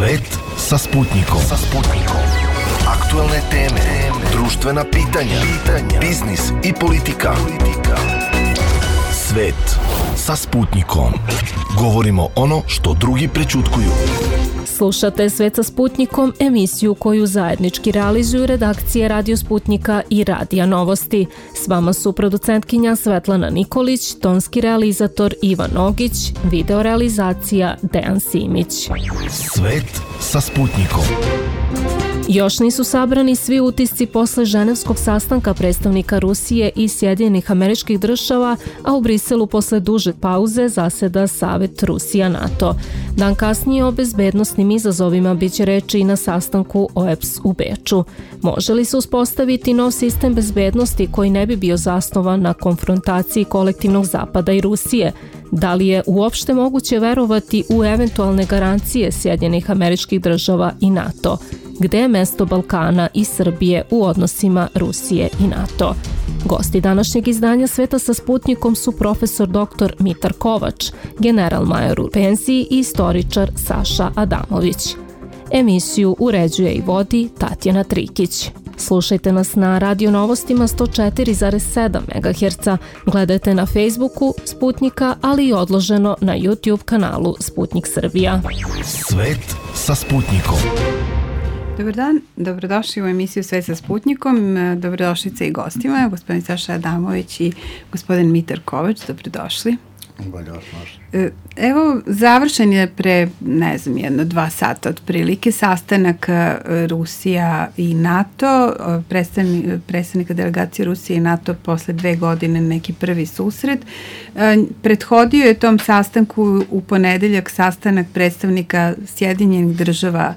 Svet sa Sputnikom. Aktuelne teme, društvena pitanja, biznis i politika. Svet sa Sputnikom. Govorimo ono što drugi prećutkuju. Slušate Svet sa Sputnikom, emisiju koju zajednički realizuju redakcije Radio Sputnika i Radija Novosti. S vama su producentkinja Svetlana Nikolić, tonski realizator Ivan Nogić, videorealizacija Dejan Simić. Svet sa Sputnikom. Još nisu sabrani svi utisci posle ženevskog sastanka predstavnika Rusije i Sjedinjenih Američkih Država, a u Briselu posle duže pauze zaseda Savet Rusija-NATO. Dan kasnije o bezbednosnim izazovima biće reči i na sastanku OEBS u Beču. Može li se uspostaviti nov sistem bezbednosti koji ne bi bio zasnovan na konfrontaciji kolektivnog Zapada i Rusije? Da li je uopšte moguće verovati u eventualne garancije Sjedinjenih Američkih Država i NATO? Gde je mesto Balkana i Srbije u odnosima Rusije i NATO? Gosti današnjeg izdanja Sveta sa Sputnikom su profesor dr. Mitar Kovač, general-major u penziji i istoričar Saša Adamović. Emisiju uređuje i vodi Tatjana Trikić. Slušajte nas na Radio Novostima 104,7 MHz, gledajte na Facebooku Sputnika, ali i odloženo na YouTube kanalu Sputnik Srbija. Svet sa Sputnikom. Dobar dan, dobrodošli u emisiju Svet sa Sputnikom, dobrodošlice i gostima, gospodin Saša Adamović i gospodin Mitar Kovač, dobrodošli. Evo, završen je pre, 2 sata otprilike, sastanak Rusija i NATO, predstavnika delegacije Rusije i NATO posle 2 godine, neki prvi susret. Prethodio je tom sastanku u ponedeljak sastanak predstavnika Sjedinjenih Država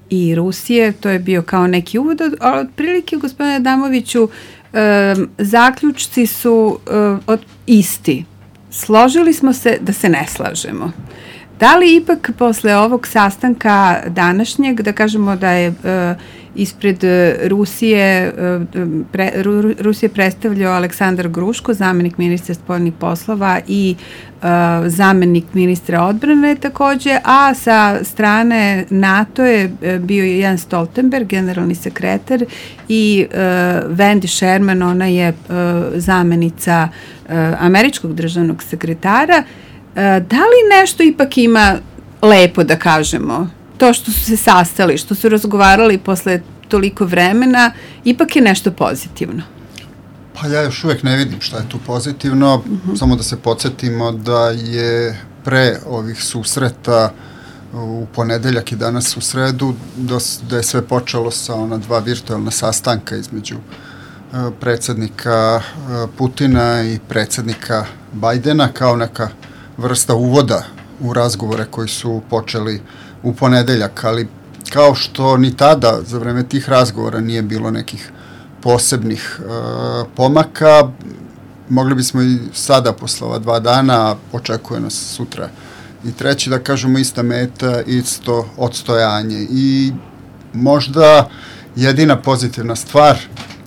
i Rusije, to je bio kao neki uvod, ali otprilike, gospodine Adamoviću, zaključci su isti. Složili smo se da se ne slažemo. Da li ipak posle ovog sastanka današnjeg, da kažemo da je ispred Rusije predstavljao Aleksandar Gruško, zamenik ministra spoljnih poslova i zamenik ministra odbrane takođe, a sa strane NATO je bio Jens Stoltenberg, generalni sekretar, i Wendy Sherman, ona je zamenica američkog državnog sekretara. Da li nešto ipak ima lepo da kažemo? To što su se sastali, što su razgovarali posle toliko vremena, ipak je nešto pozitivno. Pa ja još uvek ne vidim šta je tu pozitivno, samo da se podsjetimo da je pre ovih susreta u ponedeljak i danas u sredu, da je sve počelo sa ona 2 virtualna sastanka između predsjednika Putina i predsjednika Bajdena kao neka vrsta uvoda u razgovore koji su počeli u ponedeljak, ali kao što ni tada za vreme tih razgovora nije bilo nekih posebnih pomaka, mogli bismo i sada posle ova 2 dana, očekuje nas sutra i treći, da kažemo ista meta, isto odstojanje. I možda jedina pozitivna stvar,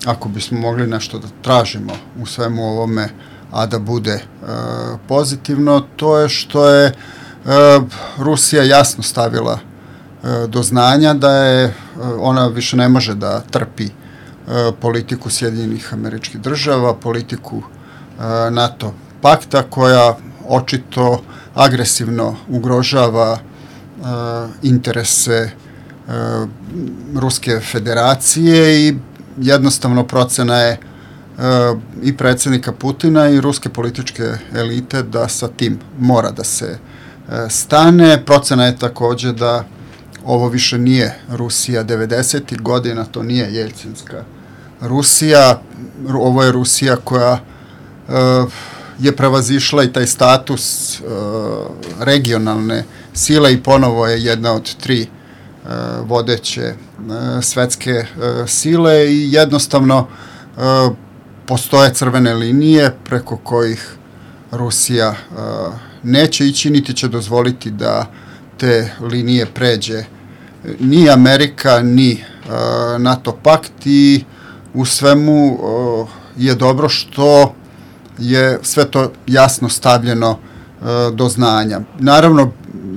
ako bismo mogli nešto da tražimo u svemu ovome, a da bude pozitivno, to je što je Rusija jasno stavila do znanja da je ona više ne može da trpi politiku Sjedinjenih Američkih Država, politiku NATO pakta koja očito agresivno ugrožava interese Ruske federacije i jednostavno procena je i predsjednika Putina i ruske političke elite da sa tim mora da se stane. Procena je takođe da ovo više nije Rusija 90. godina, to nije Jelcinska Rusija, ovo je Rusija koja je prevazišla i taj status regionalne sile i ponovo je jedna od 3 vodeće svetske sile i jednostavno postoje crvene linije preko kojih Rusija neće ići, niti će dozvoliti da te linije pređe ni Amerika, ni NATO pakt i u svemu je dobro što je sve to jasno stavljeno do znanja. Naravno,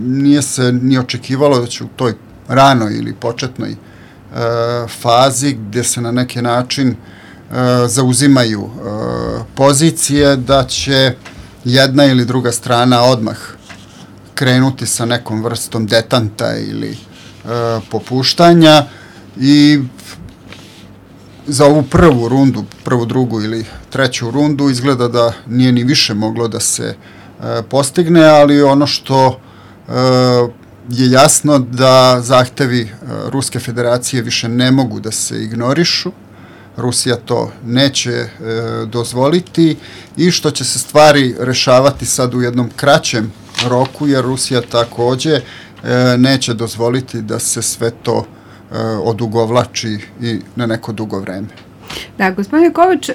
nije se ni očekivalo da će u toj ranoj ili početnoj fazi gdje se na neki način zauzimaju pozicije da će jedna ili druga strana odmah krenuti sa nekom vrstom detanta ili popuštanja i za ovu prvu rundu, prvu, drugu ili treću rundu izgleda da nije ni više moglo da se postigne, ali ono što je jasno da zahtevi Ruske federacije više ne mogu da se ignorišu. Rusija to neće dozvoliti i što će se stvari rešavati sad u jednom kraćem roku, jer Rusija takođe neće dozvoliti da se sve to odugovlači i na neko dugo vreme. Da, gospodine Kovač,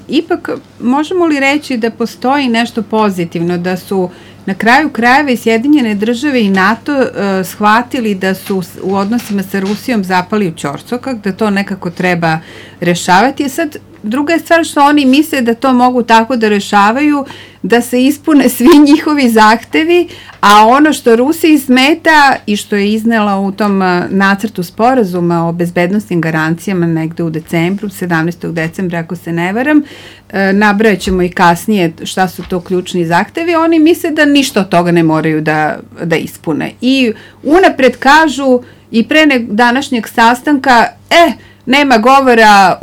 ipak možemo li reći da postoji nešto pozitivno, da su na kraju krajeva i Sjedinjene države i NATO shvatili da su u odnosima sa Rusijom zapali u ćorsokak, da to nekako treba rešavati. Sad, druga je stvar što oni misle da to mogu tako da rešavaju, da se ispune svi njihovi zahtevi, a ono što Rusiji smeta i što je iznela u tom nacrtu sporazuma o bezbednostnim garancijama negde u decembru, 17. decembra ako se ne varam, nabrajat ćemo i kasnije šta su to ključni zahtevi, oni misle da ništa od toga ne moraju da ispune. I unapred kažu i pre današnjeg sastanka, nema govora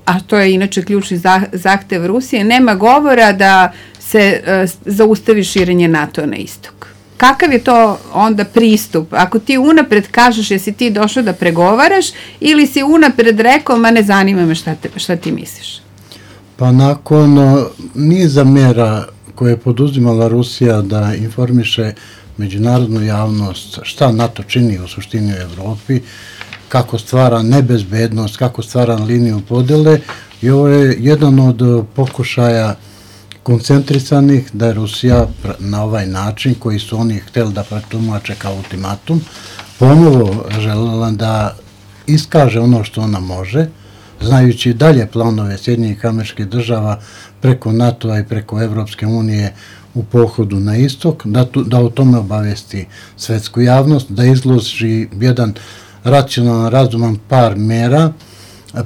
a to je inače ključni zahtev Rusije, nema govora da se zaustavi širenje NATO na istok. Kakav je to onda pristup? Ako ti unapred kažeš jesi ti došao da pregovaraš ili si unapred rekao ma ne zanima me šta ti misliš? Pa nakon niza mera koje je poduzimala Rusija da informiše međunarodnu javnost šta NATO čini u suštini u Evropi, kako stvara nebezbednost, kako stvara liniju podele, i ovo je jedan od pokušaja koncentrisanih da je Rusija na ovaj način, koji su oni hteli da pretumače kao ultimatum, ponovo želela da iskaže ono što ona može, znajući dalje planove Sjedinjenih Američkih Država preko NATO-a i preko Evropske unije u pohodu na istok, da o tome obavesti svetsku javnost, da izloži jedan racionalan, razuman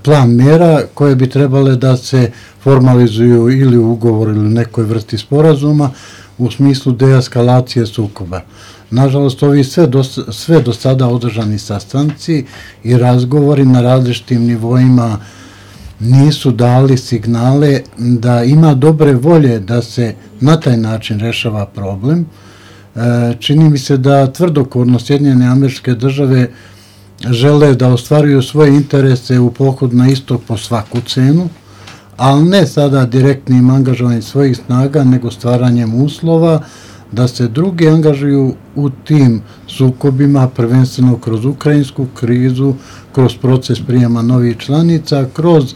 plan mera koje bi trebale da se formalizuju ili u ugovoru ili u nekoj vrsti sporazuma u smislu deeskalacije sukoba. Nažalost, ovi sve do sada održani sastanci i razgovori na različitim nivoima nisu dali signale da ima dobre volje da se na taj način rešava problem. Čini mi se da tvrdokorno Sjedinjene Američke Države žele da ostvaruju svoje interese u pohodu na istok po svaku cenu, ali ne sada direktnim angažovanjem svojih snaga, nego stvaranjem uslova da se drugi angažuju u tim sukobima, prvenstveno kroz ukrajinsku krizu, kroz proces prijema novih članica, kroz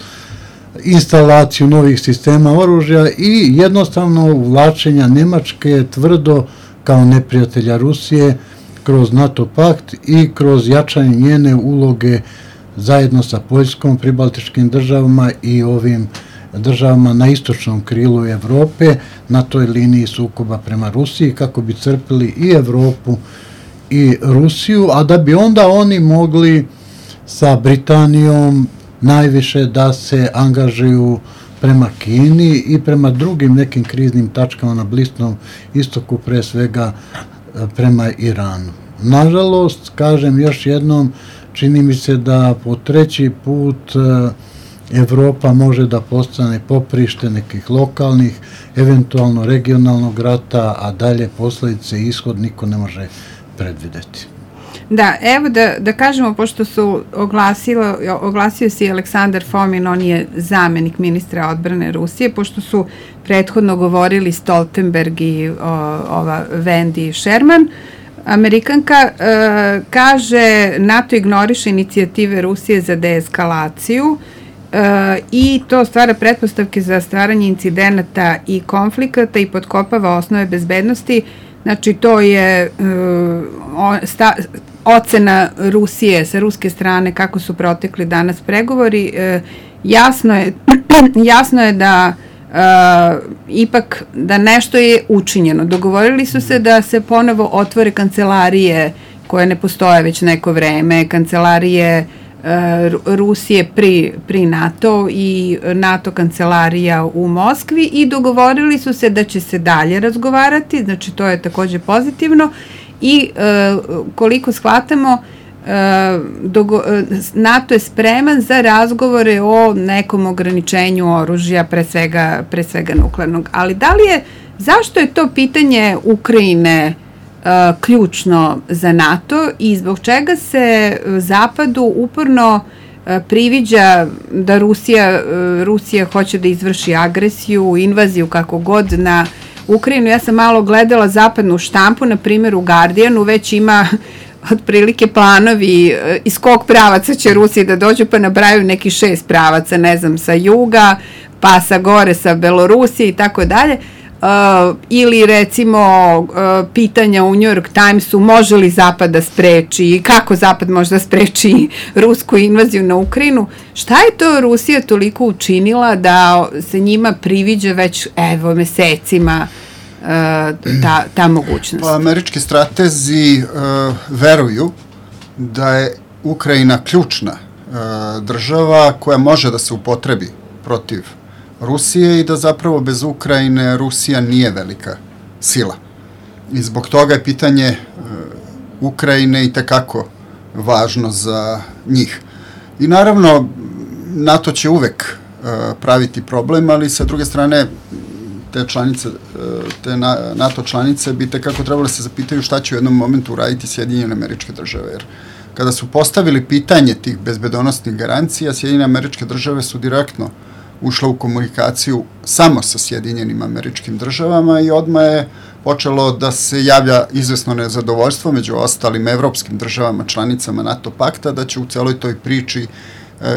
instalaciju novih sistema oružja i jednostavno uvlačenja Nemačke tvrdo kao neprijatelja Rusije kroz NATO pakt i kroz jačanje njene uloge zajedno sa Poljskom, pribaltičkim državama i ovim državama na istočnom krilu Evrope na toj liniji sukoba prema Rusiji, kako bi crpili i Evropu i Rusiju, a da bi onda oni mogli sa Britanijom najviše da se angažuju prema Kini i prema drugim nekim kriznim tačkama na Bliskom istoku, pre svega prema Iranu. Nažalost, kažem još jednom, čini mi se da po treći put Evropa može da postane poprište nekih lokalnih, eventualno regionalnog rata, a dalje posledice i ishod niko ne može predvideti. Da, evo da kažemo, pošto su oglasio se i Aleksandar Fomin, on je zamenik ministra odbrane Rusije, pošto su prethodno govorili Stoltenberg i ova Wendy Sherman, Amerikanka kaže NATO ignoriše inicijative Rusije za deeskalaciju i to stvara pretpostavke za stvaranje incidenata i konflikata i potkopava osnove bezbednosti. Znači, to je ocena Rusije sa ruske strane kako su protekli danas pregovori. Jasno je da ipak da nešto je učinjeno. Dogovorili su se da se ponovo otvore kancelarije koje ne postoje već neko vreme, kancelarije Rusije pri NATO i NATO kancelarija u Moskvi, i dogovorili su se da će se dalje razgovarati, znači to je takođe pozitivno, i koliko shvatamo, NATO je spreman za razgovore o nekom ograničenju oružja, pre svega nuklearnog. Ali zašto je to pitanje Ukrajine ključno za NATO i zbog čega se Zapadu uporno priviđa da Rusija hoće da izvrši agresiju, invaziju, kako god, na Ukrajinu? Ja sam malo gledala zapadnu štampu, na primjer u Guardianu već ima otprilike planovi iz kog pravaca će Rusiji da dođu, pa nabraju neki 6 pravaca, ne znam, sa juga, pa sa gore, sa Belorusije i tako dalje. Ili recimo pitanja u New York Timesu, može li Zapad da spreči, kako Zapad može da spreči rusku invaziju na Ukrajinu. Šta je to Rusija toliko učinila da se njima priviđa već mesecima ta mogućnost? Pa američki stratezi veruju da je Ukrajina ključna država koja može da se upotrebi protiv Rusije i da zapravo bez Ukrajine Rusija nije velika sila. I zbog toga je pitanje Ukrajine i tekako važno za njih. I naravno, NATO će uvek praviti problem, ali sa druge strane te NATO članice bi tekako trebalo se zapitaju šta će u jednom momentu uraditi Sjedinjene Američke Države. Jer kada su postavili pitanje tih bezbedonosnih garancija, Sjedinjene Američke Države su direktno ušla u komunikaciju samo sa Sjedinjenim Američkim Državama i odmah je počelo da se javlja izvesno nezadovoljstvo među ostalim evropskim državama, članicama NATO pakta, da će u celoj toj priči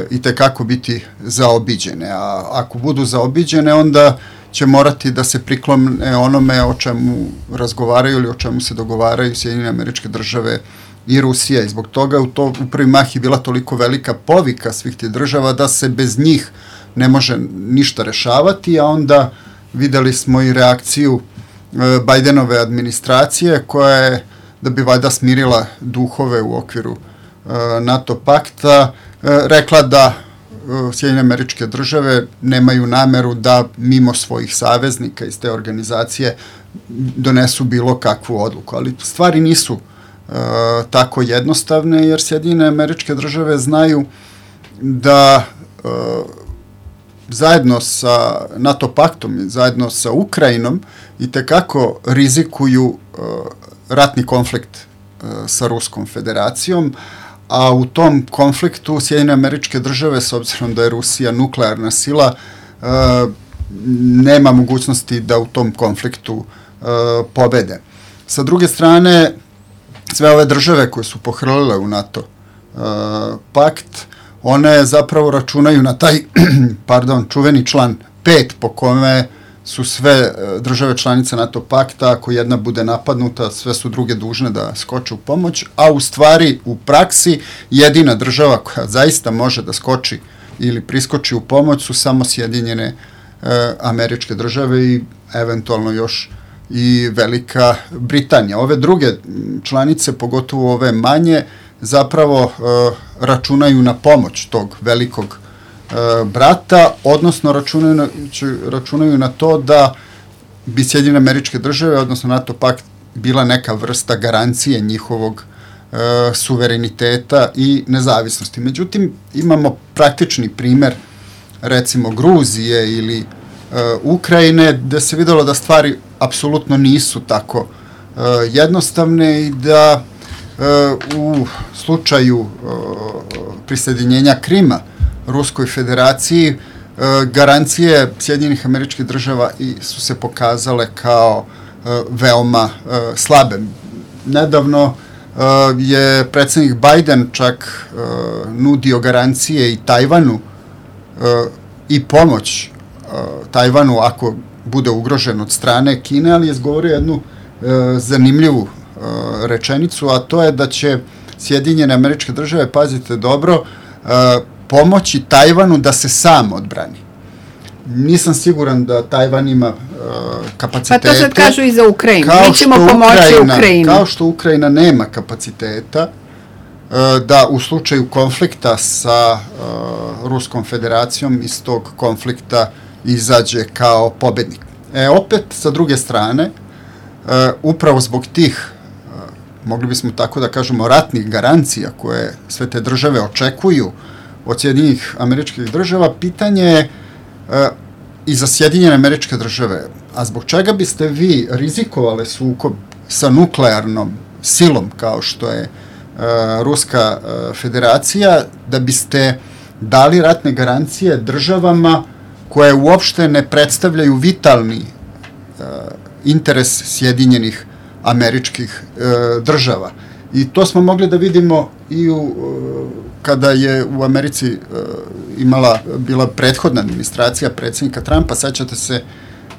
i tekako biti zaobiđene. A ako budu zaobiđene, onda će morati da se priklone onome o čemu razgovaraju ili o čemu se dogovaraju Sjedinjene Američke Države i Rusija. I zbog toga u prvi mah je bila toliko velika povika svih tih država da se bez njih ne može ništa rešavati, a onda videli smo i reakciju Bajdenove administracije koja je, da bi valjda smirila duhove u okviru NATO pakta, rekla da Sjedinjene Američke Države nemaju nameru da mimo svojih saveznika iz te organizacije donesu bilo kakvu odluku. Ali stvari nisu tako jednostavne, jer Sjedinjene Američke Države znaju da zajedno sa NATO paktom i zajedno sa Ukrajinom i tekako rizikuju ratni konflikt sa Ruskom federacijom, a u tom konfliktu Sjedinjene Američke Države, s obzirom da je Rusija nuklearna sila, nema mogućnosti da u tom konfliktu pobede. Sa druge strane, sve ove države koje su pohrlile u NATO pakt, one zapravo računaju na taj čuveni član 5 po kome su sve države članice NATO pakta, ako jedna bude napadnuta, sve su druge dužne da skoče u pomoć, a u stvari u praksi jedina država koja zaista može da skoči ili priskoči u pomoć su samo Sjedinjene Američke Države i eventualno još i Velika Britanija. Ove druge članice, pogotovo ove manje, zapravo računaju na pomoć tog velikog brata, odnosno računaju na to da bi Sjedinjene Američke Države, odnosno NATO pakt, bila neka vrsta garancije njihovog suvereniteta i nezavisnosti. Međutim, imamo praktični primer, recimo Gruzije ili Ukrajine, gde se videlo da stvari apsolutno nisu tako jednostavne i da u slučaju prisjedinjenja Krima Ruskoj federaciji garancije Sjedinjenih Američkih Država su se pokazale kao veoma slabe. Nedavno je predsjednik Bajden čak nudio garancije i Tajvanu i pomoć Tajvanu ako bude ugrožen od strane Kine, ali je izgovorio jednu zanimljivu rečenicu, a to je da će Sjedinjene Američke Države, pazite dobro, pomoći Tajvanu da se sam odbrani. nisam siguran da Tajvan ima kapacitete. Pa to sad kažu i za Ukrajinu. Mi ćemo pomoći Ukrajinu. Kao što Ukrajina nema kapaciteta da u slučaju konflikta sa Ruskom federacijom iz tog konflikta izađe kao pobednik. Opet, sa druge strane, upravo zbog tih, mogli bismo tako da kažemo, ratnih garancija koje sve te države očekuju od Sjedinjenih Američkih Država, pitanje je i za Sjedinjene Američke Države, a zbog čega biste vi rizikovali sukob sa nuklearnom silom kao što je Ruska federacija, da biste dali ratne garancije državama koje uopšte ne predstavljaju vitalni interes Sjedinjenih Američkih Država. I to smo mogli da vidimo i kada je u Americi bila prethodna administracija predsjednika Trumpa. Sećate se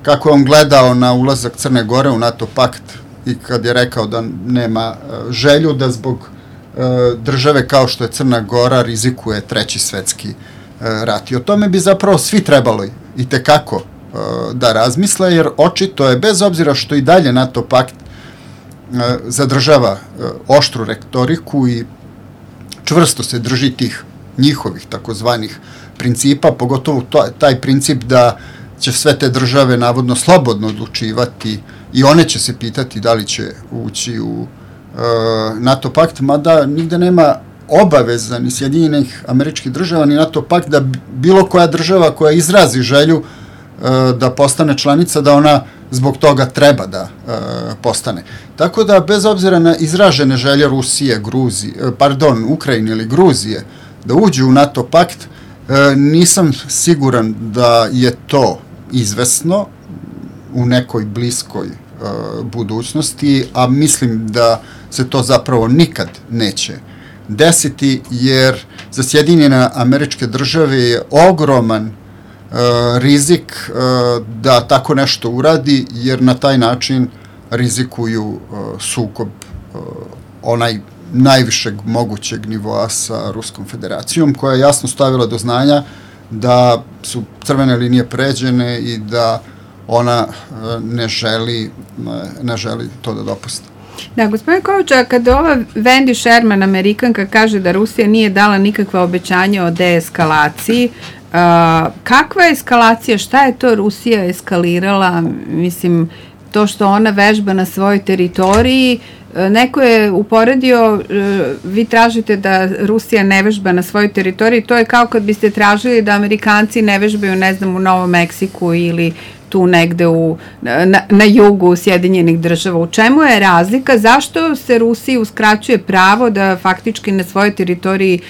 kako je on gledao na ulazak Crne Gore u NATO pakt i kad je rekao da nema želju da zbog države kao što je Crna Gora rizikuje Treći svetski rat. I o tome bi zapravo svi trebalo i tekako da razmisle, jer očito je, bez obzira što i dalje NATO pakt zadržava oštru retoriku i čvrsto se drži tih njihovih takozvanih principa, pogotovo taj princip da će sve te države navodno slobodno odlučivati i one će se pitati da li će ući u NATO pakt, mada nigde nema obaveza ni Sjedinjenih Američkih Država ni NATO pakt da bilo koja država koja izrazi želju da postane članica, da ona zbog toga treba da postane. Tako da, bez obzira na izražene želje Rusije, Ukrajine ili Gruzije da uđu u NATO pakt, nisam siguran da je to izvesno u nekoj bliskoj budućnosti, a mislim da se to zapravo nikad neće desiti, jer za Sjedinjene Američke Države je ogroman rizik da tako nešto uradi, jer na taj način rizikuju sukob onaj najvišeg mogućeg nivoa sa Ruskom federacijom, koja je jasno stavila do znanja da su crvene linije pređene i da ona ne želi to da dopusti. Da, gospodin Kovača, kada ova Wendy Sherman, Amerikanka, kaže da Rusija nije dala nikakva obećanja o deeskalaciji, kakva je eskalacija, šta je to Rusija eskalirala? Mislim, to što ona vežba na svojoj teritoriji, neko je uporedio, vi tražite da Rusija ne vežba na svojoj teritoriji, to je kao kad biste tražili da Amerikanci ne vežbaju, ne znam, u Novom Meksiku ili tu negde na jugu Sjedinjenih Država. U čemu je razlika? Zašto se Rusiji uskraćuje pravo da faktički na svojoj teritoriji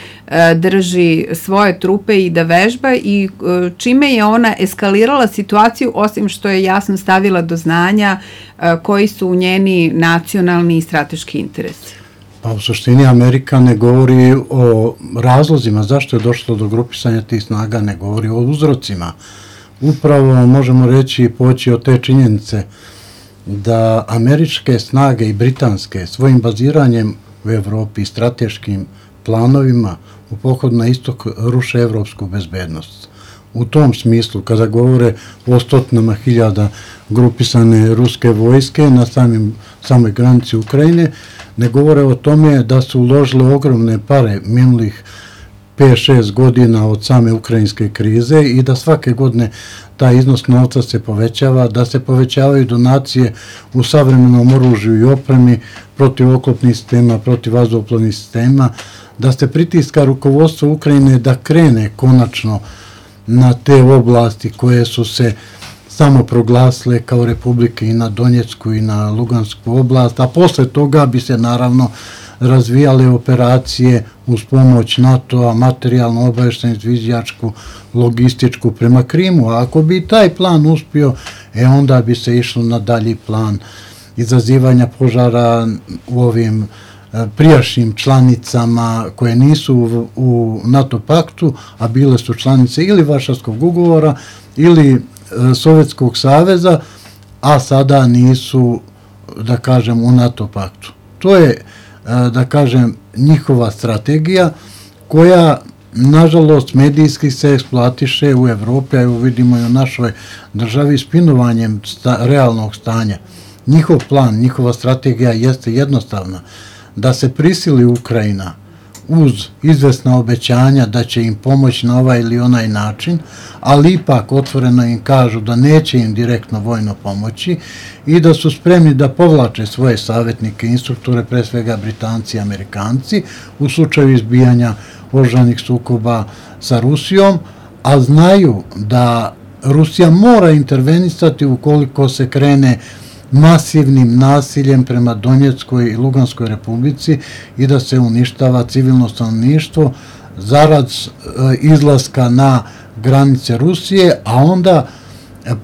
drži svoje trupe i da vežba, i čime je ona eskalirala situaciju, osim što je jasno stavila do znanja koji su njeni nacionalni i strateški interesi? Pa u suštini Amerika ne govori o razlozima zašto je došlo do grupisanja tih snaga, ne govori o uzrocima. Upravo možemo reći i poći od te činjenice da američke snage i britanske svojim baziranjem u Evropi i strateškim planovima u pohodu na istok ruše evropsku bezbednost. U tom smislu, kada govore o stotinama hiljada grupisane ruske vojske na samoj granici Ukrajine, ne govore o tome da su uložile ogromne pare minulih 5-6 godina od same ukrajinske krize i da svake godine taj iznos novca se povećava, da se povećavaju donacije u savremenom oružju i opremi, protivoklopnih sistema, protivvazduhoplovnih sistema, da se pritiska rukovodstvo Ukrajine da krene konačno na te oblasti koje su se samo proglasile kao republike i na Donjecku i na Lugansku oblast, a posle toga bi se naravno razvijale operacije uz pomoć NATO-a, materijalno obaveštenu, izviđačku, logističku prema Krimu. A ako bi taj plan uspio, onda bi se išlo na dalji plan izazivanja požara u ovim prijašnjim članicama koje nisu u NATO paktu, a bile su članice ili Varšavskog ugovora ili Sovjetskog saveza, a sada nisu, da kažem, u NATO paktu. To je, da kažem, njihova strategija koja nažalost, medijski se eksploatiše u Evropi, a evo vidimo i u našoj državi spinovanjem realnog stanja. Njihov plan, njihova strategija jeste jednostavna, da se prisili Ukrajina uz izvesna obećanja da će im pomoći na ovaj ili onaj način, ali ipak otvoreno im kažu da neće im direktno vojno pomoći i da su spremni da povlače svoje savjetnike, instruktore, pre svega Britanci i Amerikanci, u slučaju izbijanja oružanih sukoba sa Rusijom, a znaju da Rusija mora intervenisati ukoliko se krene masivnim nasiljem prema Donjeckoj i Luganskoj republici i da se uništava civilno stanovništvo zarad izlaska na granice Rusije, a onda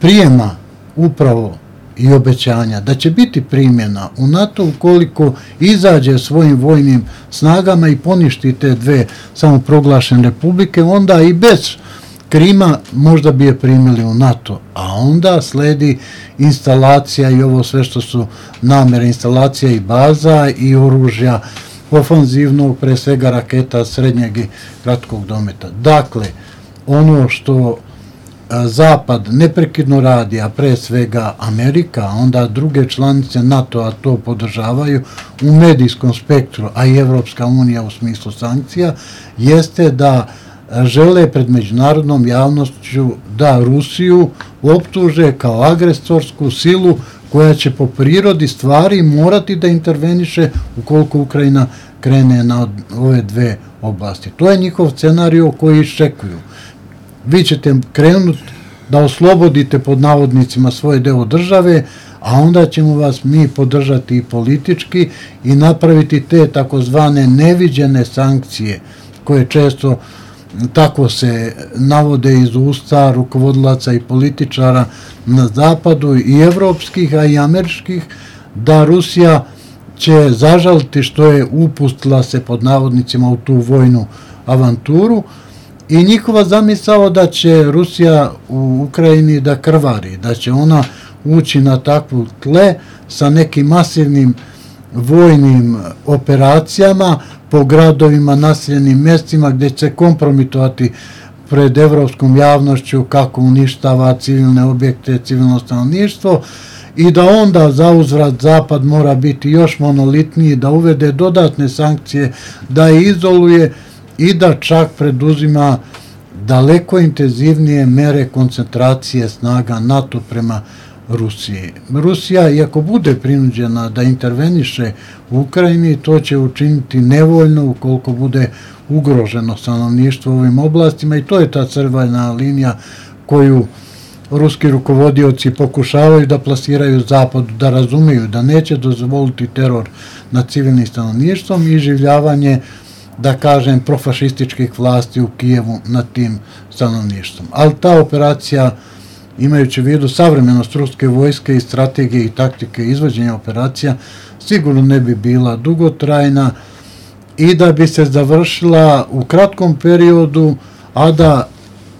prijema upravo i obećanja da će biti primjena u NATO ukoliko izađe svojim vojnim snagama i poništi te dve samoproglašene republike, onda i bez Krima možda bi je primili u NATO, a onda sledi instalacija i ovo sve što su namere, instalacija i baza i oružja ofanzivnog, pre svega raketa srednjeg i kratkog dometa. Dakle, ono što Zapad neprekidno radi, a pre svega Amerika, onda druge članice NATO-a to podržavaju u medijskom spektru, a i Evropska unija u smislu sankcija, jeste da žele pred međunarodnom javnošću da Rusiju optuže kao agresorsku silu koja će po prirodi stvari morati da interveniše ukoliko Ukrajina krene na ove dve oblasti. To je njihov scenario koji iščekuju. Vi ćete krenuti da oslobodite pod navodnicima svoje deo države, a onda ćemo vas mi podržati i politički i napraviti te takozvane neviđene sankcije koje često tako se navode iz usta rukovodilaca i političara na zapadu i evropskih, a i američkih, da Rusija će zažaliti što je upustila se pod navodnicima u tu vojnu avanturu i njihova zamisao da će Rusija u Ukrajini da krvari, da će ona ući na takvu tle sa nekim masivnim vojnim operacijama po gradovima, naseljenim mjestima gdje će se kompromitovati pred evropskom javnošću kako uništava civilne objekte, civilno stanovništvo i da onda za uzvrat Zapad mora biti još monolitniji, da uvede dodatne sankcije, da je izoluje i da čak preduzima daleko intenzivnije mere koncentracije snaga NATO prema Rusiji. Rusija, iako bude prinuđena da interveniše u Ukrajini, to će učiniti nevoljno ukoliko bude ugroženo stanovništvo u ovim oblastima i to je ta crvena linija koju ruski rukovodioci pokušavaju da plasiraju Zapadu, da razumeju da neće dozvoliti teror nad civilnim stanovništvom i življavanje, da kažem, profašističkih vlasti u Kijevu nad tim stanovništvom. Ali ta operacija, imajući u vidu savremenost ruske vojske i strategije i taktike izvođenja operacija, sigurno ne bi bila dugotrajna i da bi se završila u kratkom periodu, a da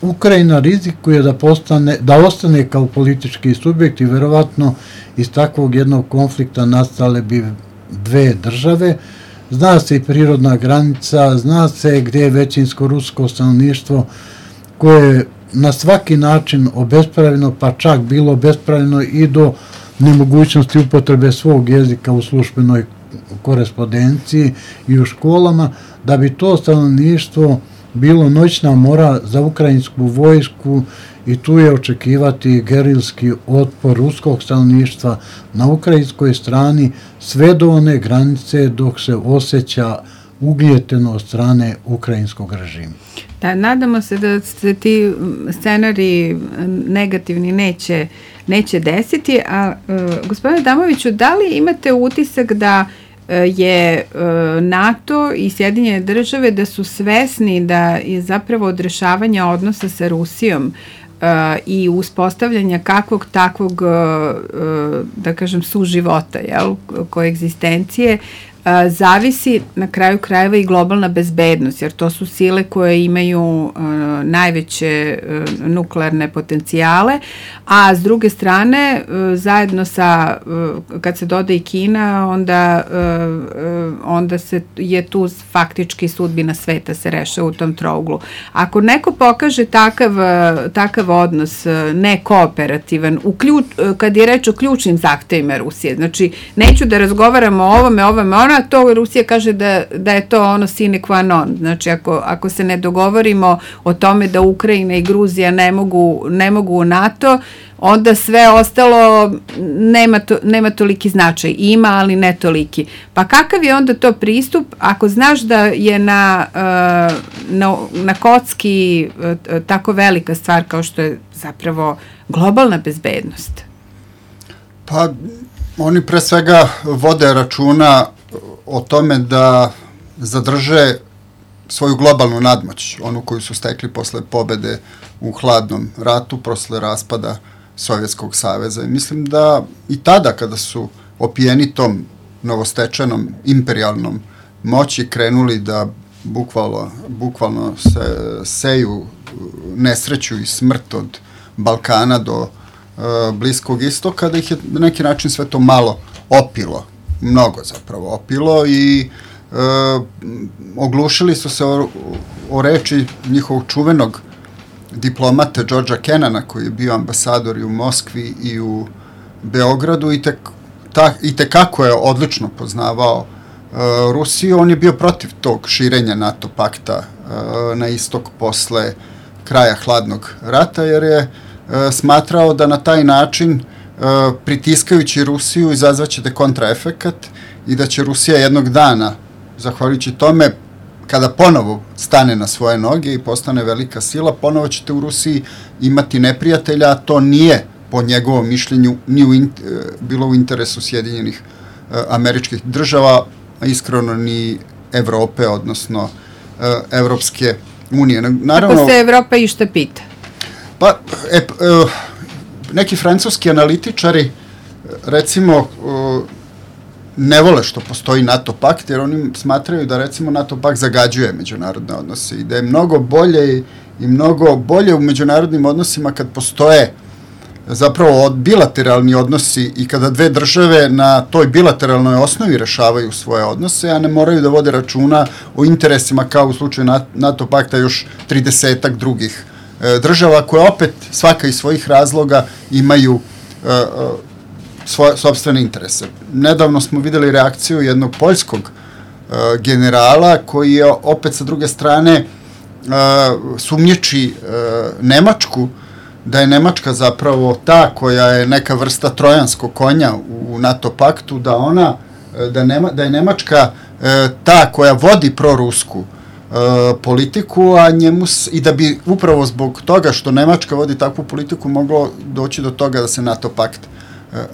Ukrajina rizikuje da ostane kao politički subjekt i verovatno iz takvog jednog konflikta nastale bi dve države. Zna se i prirodna granica, zna se gdje je većinsko rusko stanovništvo koje na svaki način obespravljeno, pa čak bilo obespravljeno i do nemogućnosti upotrebe svog jezika u službenoj korespondenciji i u školama, da bi to stanovništvo bilo noćna mora za ukrajinsku vojsku i tu je očekivati gerilski otpor ruskog stanovništva na ukrajinskoj strani sve do one granice dok se osjeća ugnjeteno od strane ukrajinskog režima. Da, nadamo se da se ti scenariji negativni neće desiti, a gospodine Adamoviću, da li imate utisak da je NATO i Sjedinjene države da su svesni da je zapravo odrešavanja odnosa sa Rusijom i uspostavljanja kakvog takvog, da kažem, suživota, koegzistencije, zavisi na kraju krajeva i globalna bezbednost, jer to su sile koje imaju najveće nuklearne potencijale, a s druge strane, zajedno sa, kad se doda i Kina, onda je tu faktički sudbina sveta se rešava u tom trouglu. Ako neko pokaže takav odnos nekooperativan, kad je reč o ključnim zahtevima Rusije, znači neću da razgovaramo o ovome, ona, to Rusija kaže da je to ono sine qua non. Znači, ako se ne dogovorimo o tome da Ukrajina i Gruzija ne mogu u NATO, onda sve ostalo nema toliki značaj. Ima, ali ne toliki. Pa kakav je onda to pristup ako znaš da je na kocki tako velika stvar kao što je zapravo globalna bezbednost? Pa, oni pre svega vode računa o tome da zadrže svoju globalnu nadmoć, onu koju su stekli posle pobede u hladnom ratu, posle raspada Sovjetskog saveza. I mislim da i tada, kada su opijeni tom novostečenom imperijalnom moći, krenuli da bukvalno seju nesreću i smrt od Balkana do Bliskog istoka, da ih je na neki način sve to malo opilo, mnogo zapravo opilo i oglušili su se o reči njihovog čuvenog diplomate Georgea Kennana, koji je bio ambasador i u Moskvi i u Beogradu i tekako je odlično poznavao Rusiju. On je bio protiv tog širenja NATO pakta na istok posle kraja hladnog rata, jer je smatrao da na taj način, pritiskajući Rusiju, izazvaćete kontraefekat i da će Rusija jednog dana, zahvaljujući tome, kada ponovo stane na svoje noge i postane velika sila, ponovo ćete u Rusiji imati neprijatelja, a to nije, po njegovom mišljenju, bilo u interesu Sjedinjenih Američkih Država, a iskreno ni Evrope, odnosno Evropske unije. Naravno, ako se Evropa išta pita? Pa, neki francuski analitičari, recimo, ne vole što postoji NATO pakt, jer oni smatraju da, recimo, NATO pakt zagađuje međunarodne odnose i da je mnogo bolje u međunarodnim odnosima kad postoje zapravo bilateralni odnosi i kada dve države na toj bilateralnoj osnovi rešavaju svoje odnose, a ne moraju da vode računa o interesima kao u slučaju NATO pakta još 30-ak drugih država, koje opet svaka iz svojih razloga imaju svoje sopstvene interese. Nedavno smo videli reakciju jednog poljskog generala koji je opet sa druge strane sumnjiči Nemačku, da je Nemačka zapravo ta koja je neka vrsta trojanskog konja u NATO paktu, da je Nemačka ta koja vodi prorusku politiku, i da bi upravo zbog toga što Nemačka vodi takvu politiku moglo doći do toga da se NATO pakt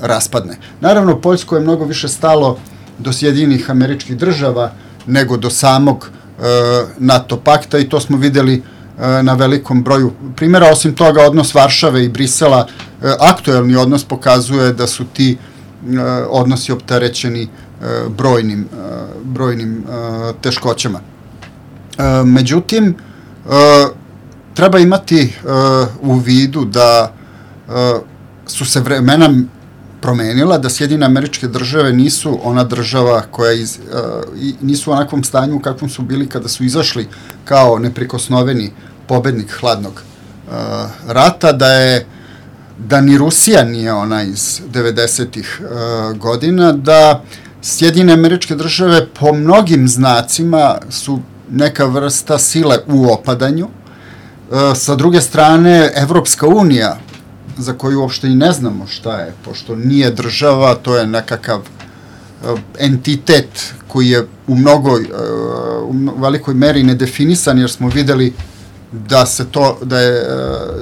raspadne. Naravno, Poljsko je mnogo više stalo do Sjedinjenih Američkih Država nego do samog NATO pakta i to smo videli na velikom broju primjera. Osim toga, odnos Varšave i Brisela, aktuelni odnos, pokazuje da su ti odnosi opterećeni brojnim teškoćama. Međutim, treba imati u vidu da su se vremena promenila, da Sjedinjene Američke Države nisu ona država koja nisu u onakvom stanju u kakvom su bili kada su izašli kao neprikosnoveni pobednik hladnog rata, da ni Rusija nije ona iz 90-ih godina, da Sjedinjene Američke Države po mnogim znacima su neka vrsta sile u opadanju. Sa druge strane, Evropska unija, za koju uopšte i ne znamo šta je, pošto nije država, to je nekakav entitet koji je u velikoj meri nedefinisan, jer smo videli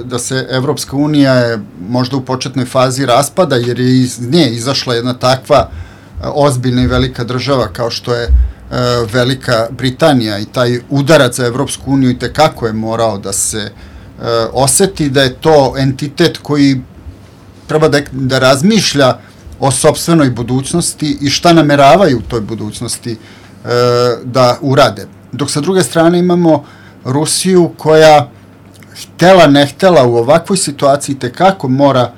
da se Evropska unija je možda u početnoj fazi raspada, jer je iz nje izašla jedna takva ozbiljna i velika država kao što je Velika Britanija, i taj udarac za Evropsku uniju i tekako je morao da se oseti, da je to entitet koji treba da razmišlja o sopstvenoj budućnosti i šta nameravaju u toj budućnosti da urade. Dok sa druge strane imamo Rusiju koja, htela ne htela, u ovakvoj situaciji tekako mora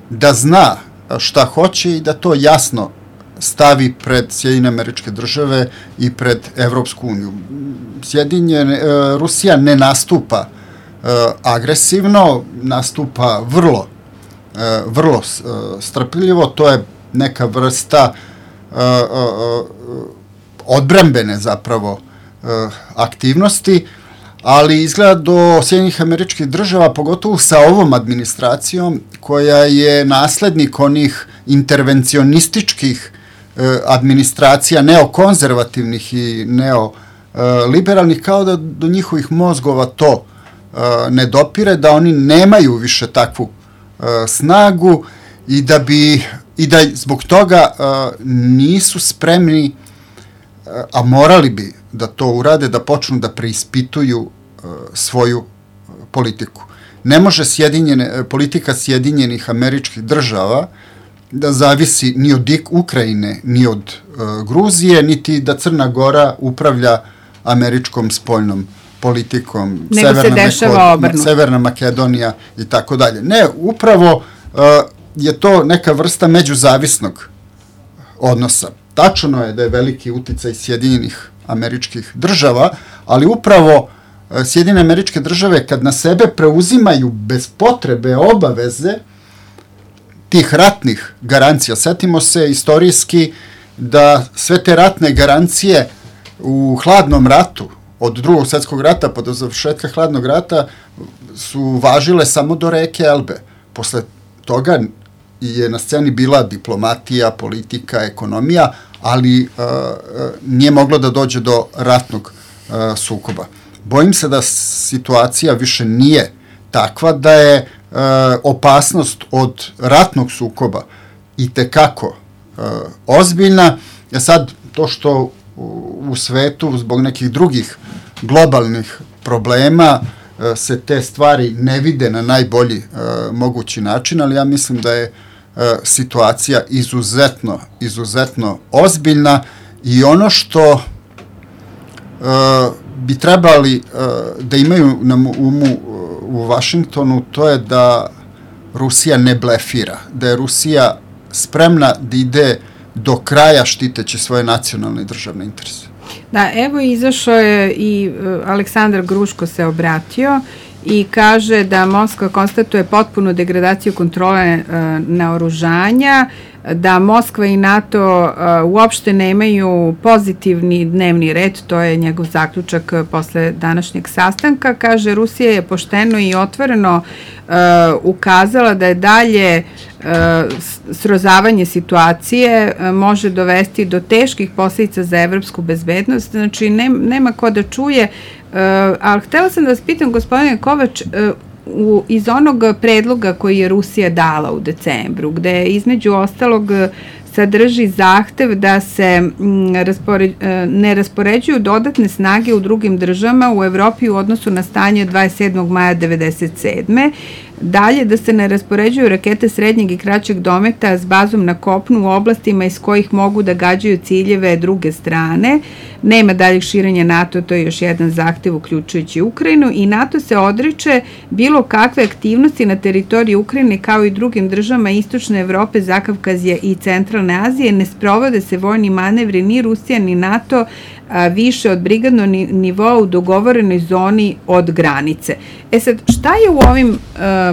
da zna šta hoće i da to jasno stavi pred Sjedinjene Američke Države i pred Evropsku uniju. Rusija ne nastupa agresivno, nastupa vrlo strpljivo, to je neka vrsta odbrambene zapravo aktivnosti, ali izgleda do Sjedinjenih Američkih Država, pogotovo sa ovom administracijom, koja je naslednik onih intervencionističkih administracija, neokonzervativnih i neoliberalnih, kao da do njihovih mozgova to ne dopire, da oni nemaju više takvu snagu i da zbog toga nisu spremni, a morali bi da to urade, da počnu da preispituju svoju politiku. Ne može politika Sjedinjenih Američkih Država da zavisi ni od Ukrajine, ni od Gruzije, niti da Crna Gora upravlja američkom spoljnom politikom, Severna Makedonija i tako dalje. Ne, upravo je to neka vrsta međuzavisnog odnosa. Tačno je da je veliki uticaj Sjedinjenih Američkih Država, ali upravo Sjedinjene Američke Države kad na sebe preuzimaju bez potrebe obaveze tih ratnih garancija. Setimo se istorijski da sve te ratne garancije u hladnom ratu, od Drugog svjetskog rata pa do završetka hladnog rata, su važile samo do reke Elbe. Posle toga je na sceni bila diplomatija, politika, ekonomija, ali nije moglo da dođe do ratnog sukoba. Bojim se da situacija više nije takva, da je opasnost od ratnog sukoba itekako ozbiljna. Sad, to što u svetu zbog nekih drugih globalnih problema se te stvari ne vide na najbolji mogući način, ali ja mislim da je situacija izuzetno ozbiljna i ono što bi trebali da imaju na umu u Vašingtonu, to je da Rusija ne blefira, da je Rusija spremna da ide do kraja štiteći svoje nacionalne i državne interese. Da, evo izašao je i Aleksandar Gruško se obratio i kaže da Moskva konstatuje potpunu degradaciju kontrole naoružanja, da Moskva i NATO uopšte nemaju pozitivni dnevni red, to je njegov zaključak posle današnjeg sastanka. Kaže, Rusija je pošteno i otvoreno ukazala da je dalje srozavanje situacije može dovesti do teških posledica za evropsku bezbednost. Znači, nema ko da čuje, ali htela sam da vas pitam, gospodine Kovač, iz onog predloga koji je Rusija dala u decembru, gde između ostalog sadrži zahtev da se ne raspoređuju dodatne snage u drugim državama u Evropi u odnosu na stanje 27. maja 1997. Dalje, da se ne raspoređuju rakete srednjeg i kraćeg dometa s bazom na kopnu u oblastima iz kojih mogu da gađaju ciljeve druge strane. Nema daljeg širenja NATO, to je još jedan zahtev uključujući Ukrajinu, i NATO se odriče bilo kakve aktivnosti na teritoriji Ukrajine kao i drugim državama Istočne Evrope, Zakavkazije i Centralne Azije. Ne sprovode se vojni manevri ni Rusija ni NATO više od brigadnog nivoa u dogovorenoj zoni od granice. Sad, šta je u ovim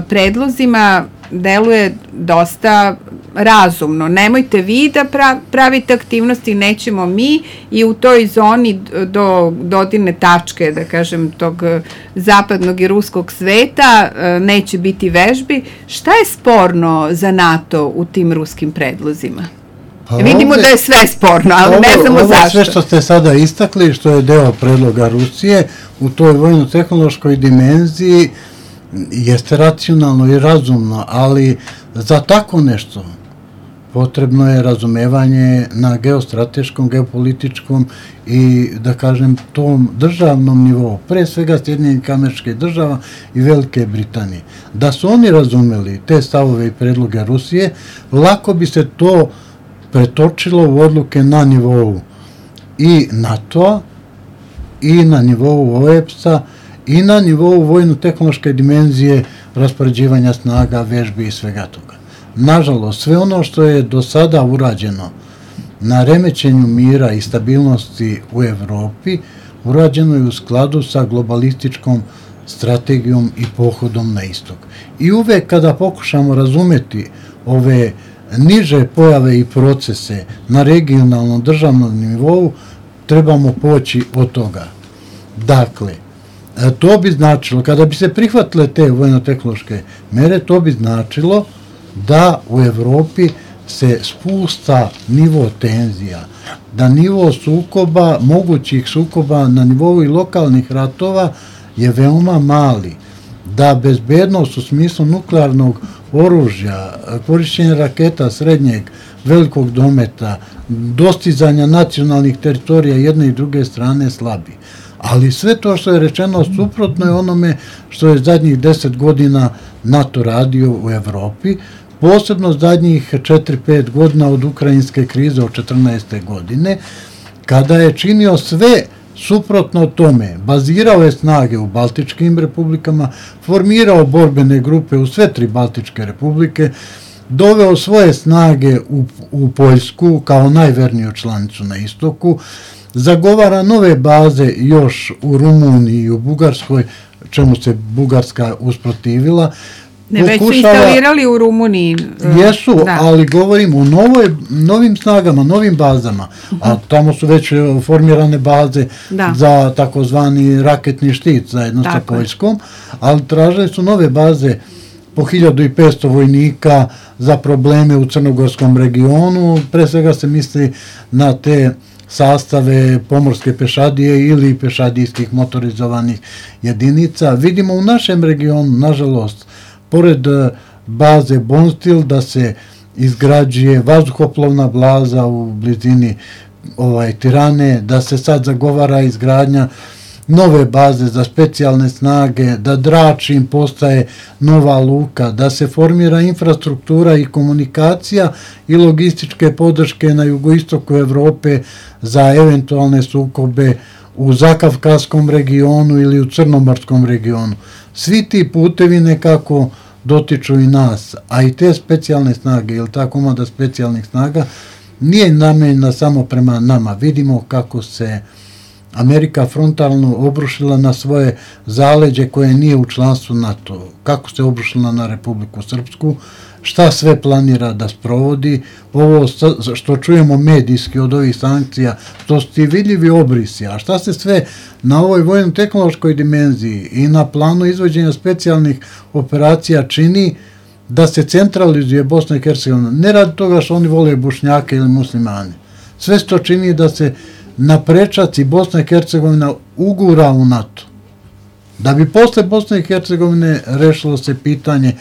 predlozima? Deluje dosta razumno. Nemojte vi da pravite aktivnosti, nećemo mi, i u toj zoni do dodirne tačke, da kažem, tog zapadnog i ruskog sveta neće biti vežbi. Šta je sporno za NATO u tim ruskim predlozima? Vidimo da je sve sporno, ali ne znamo zašto. Ovo sve što ste sada istakli, što je deo predloga Rusije, u toj vojno-tehnološkoj dimenziji jeste racionalno i razumno, ali za tako nešto potrebno je razumevanje na geostrateškom, geopolitičkom i, da kažem, tom državnom nivou, pre svega Sjedinjenih Američkih Država i Velike Britanije. Da su oni razumeli te stavove i predloge Rusije, lako bi se to pretočilo u odluke na nivou i NATO-a, i na nivou OEBS-a, i na nivou vojno-tehnološke dimenzije raspoređivanja snaga, vežbi i svega toga. Nažalost, sve ono što je do sada urađeno na remećenju mira i stabilnosti u Evropi, urađeno je u skladu sa globalističkom strategijom i pohodom na istok. I uvek kada pokušamo razumeti ove niže pojave i procese na regionalnom državnom nivou, trebamo poći od toga. Dakle, to bi značilo, kada bi se prihvatile te vojno-tehnološke mere, to bi značilo da u Evropi se spusta nivo tenzija, da nivo sukoba, mogućih sukoba na nivou i lokalnih ratova je veoma mali, da bezbednost u smislu nuklearnog oružja, korišćenja raketa srednjeg, velikog dometa, dostizanja nacionalnih teritorija jedne i druge strane slabi. Ali sve to što je rečeno suprotno je onome što je zadnjih 10 godina NATO radio u Evropi, posebno zadnjih 4-5 godina od ukrajinske krize od 14. godine, kada je činio sve suprotno tome, bazirao je snage u Baltičkim republikama, formirao borbene grupe u sve 3 Baltičke republike, doveo svoje snage u Poljsku kao najverniju članicu na istoku, zagovara nove baze još u Rumuniji i u Bugarskoj, čemu se Bugarska usprotivila. Ne, već su instalirali u Rumuniji. Jesu, ali govorim o novim snagama, novim bazama, a tamo su već formirane baze za takozvani raketni štit zajedno sa Poljskom, ali tražili su nove baze po 1500 vojnika za probleme u crnogorskom regionu, pre svega se misli na te sastave pomorske pešadije ili pešadijskih motorizovanih jedinica. Vidimo u našem regionu, nažalost, pored baze Bonstil da se izgrađuje vazduhoplovna baza u blizini Tirane, da se sad zagovara izgradnja nove baze za specijalne snage, da Dračin postaje nova luka, da se formira infrastruktura i komunikacija i logističke podrške na jugoistoku Evrope za eventualne sukobe u Zakavkazskom regionu ili u Crnomorskom regionu. Svi ti putevi nekako dotiču i nas, a i te specijalne snage, ili ta komanda specijalnih snaga, nije namenjena samo prema nama. Vidimo kako se Amerika frontalno obrušila na svoje zaleđe koje nije u članstvu NATO, kako se obrušila na Republiku Srpsku, šta sve planira da sprovodi, ovo što čujemo medijski od ovih sankcija, to su ti vidljivi obrisi, a šta se sve na ovoj vojno-tehnološkoj dimenziji i na planu izvođenja specijalnih operacija čini da se centralizuje Bosna i Hercegovina, ne radi toga što oni vole Bošnjake ili muslimane. Sve se to čini da se na prečac i Bosna i Hercegovina ugura u NATO. Da bi posle Bosne i Hercegovine rešilo se pitanje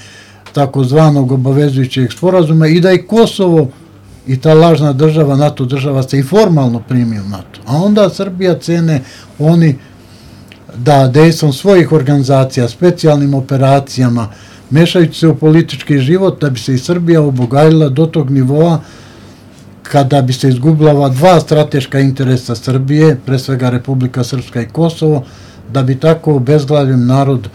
takozvanog obavezujućeg sporazuma i da i Kosovo i ta lažna država, NATO država, se i formalno primi u NATO. A onda Srbija cene oni da dejstvom svojih organizacija, specijalnim operacijama, mešajući se u politički život, da bi se i Srbija obogajila do tog nivoa kada bi se izgubila ova 2 strateška interesa Srbije, pre svega Republika Srpska i Kosovo, da bi tako obezglavljen narod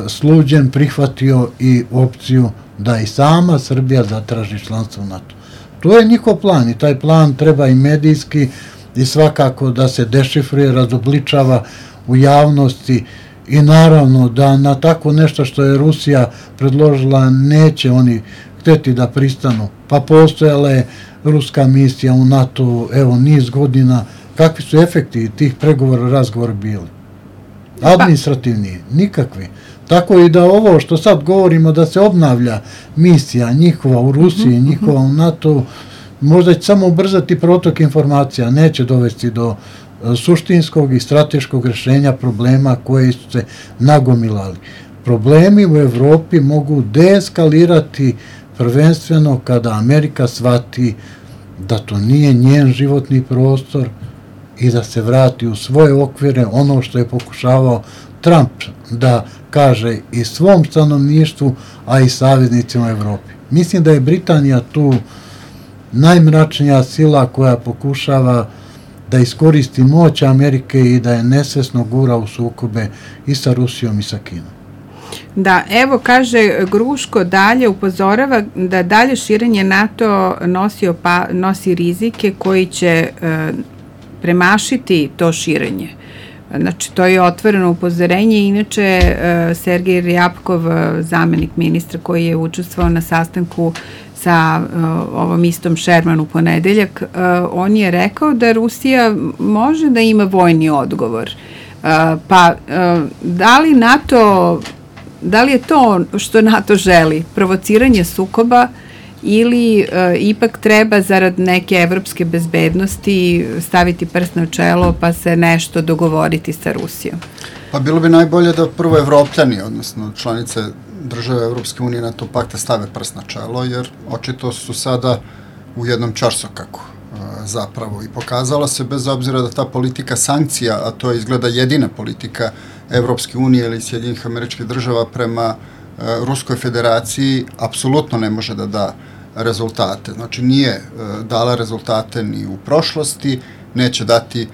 sluđen prihvatio i opciju da i sama Srbija zatraži članstvo u NATO. To je njihov plan i taj plan treba i medijski i svakako da se dešifruje, razobličava u javnosti i naravno da na tako nešto što je Rusija predložila neće oni hteti da pristanu. Pa postojala je ruska misija u NATO, evo, niz godina. Kakvi su efekti tih pregovora, razgovora bili? Administrativni, nikakvi. Tako i da ovo što sad govorimo da se obnavlja misija njihova u Rusiji, njihova u NATO, možda će samo ubrzati protok informacija, neće dovesti do suštinskog i strateškog rešenja problema koje su se nagomilali. Problemi u Evropi mogu deeskalirati prvenstveno kada Amerika shvati da to nije njen životni prostor i da se vrati u svoje okvire, ono što je pokušavao Trump da kaže i svom stanovništvu, a i saveznicima u Evropi. Mislim da je Britanija tu najmračnija sila koja pokušava da iskoristi moć Amerike i da je nesvesno gura u sukobe i sa Rusijom i sa Kinom. Da, evo kaže Gruško dalje upozorava da dalje širenje NATO nosi rizike koji će premašiti to širenje. Znači, to je otvoreno upozorenje. Inače, Sergej Ryabkov, zamenik ministra koji je učestvovao na sastanku sa ovom istom Sherman u ponedeljak, on je rekao da Rusija može da ima vojni odgovor. Pa, da li je to što NATO želi? Provociranje sukoba ili ipak treba zarad neke evropske bezbednosti staviti prst na čelo pa se nešto dogovoriti sa Rusijom? Pa bilo bi najbolje da prvo Evropljani, odnosno članice države Evropske unije NATO pakta stave prst na čelo, jer očito su sada u jednom ćorsokaku zapravo i pokazalo se, bez obzira da ta politika sankcija, a to je izgleda jedina politika Evropske unije ili Sjedinjenih Američkih Država prema Ruskoj federaciji, apsolutno ne može da da rezultate. Znači, nije dala rezultate ni u prošlosti, neće dati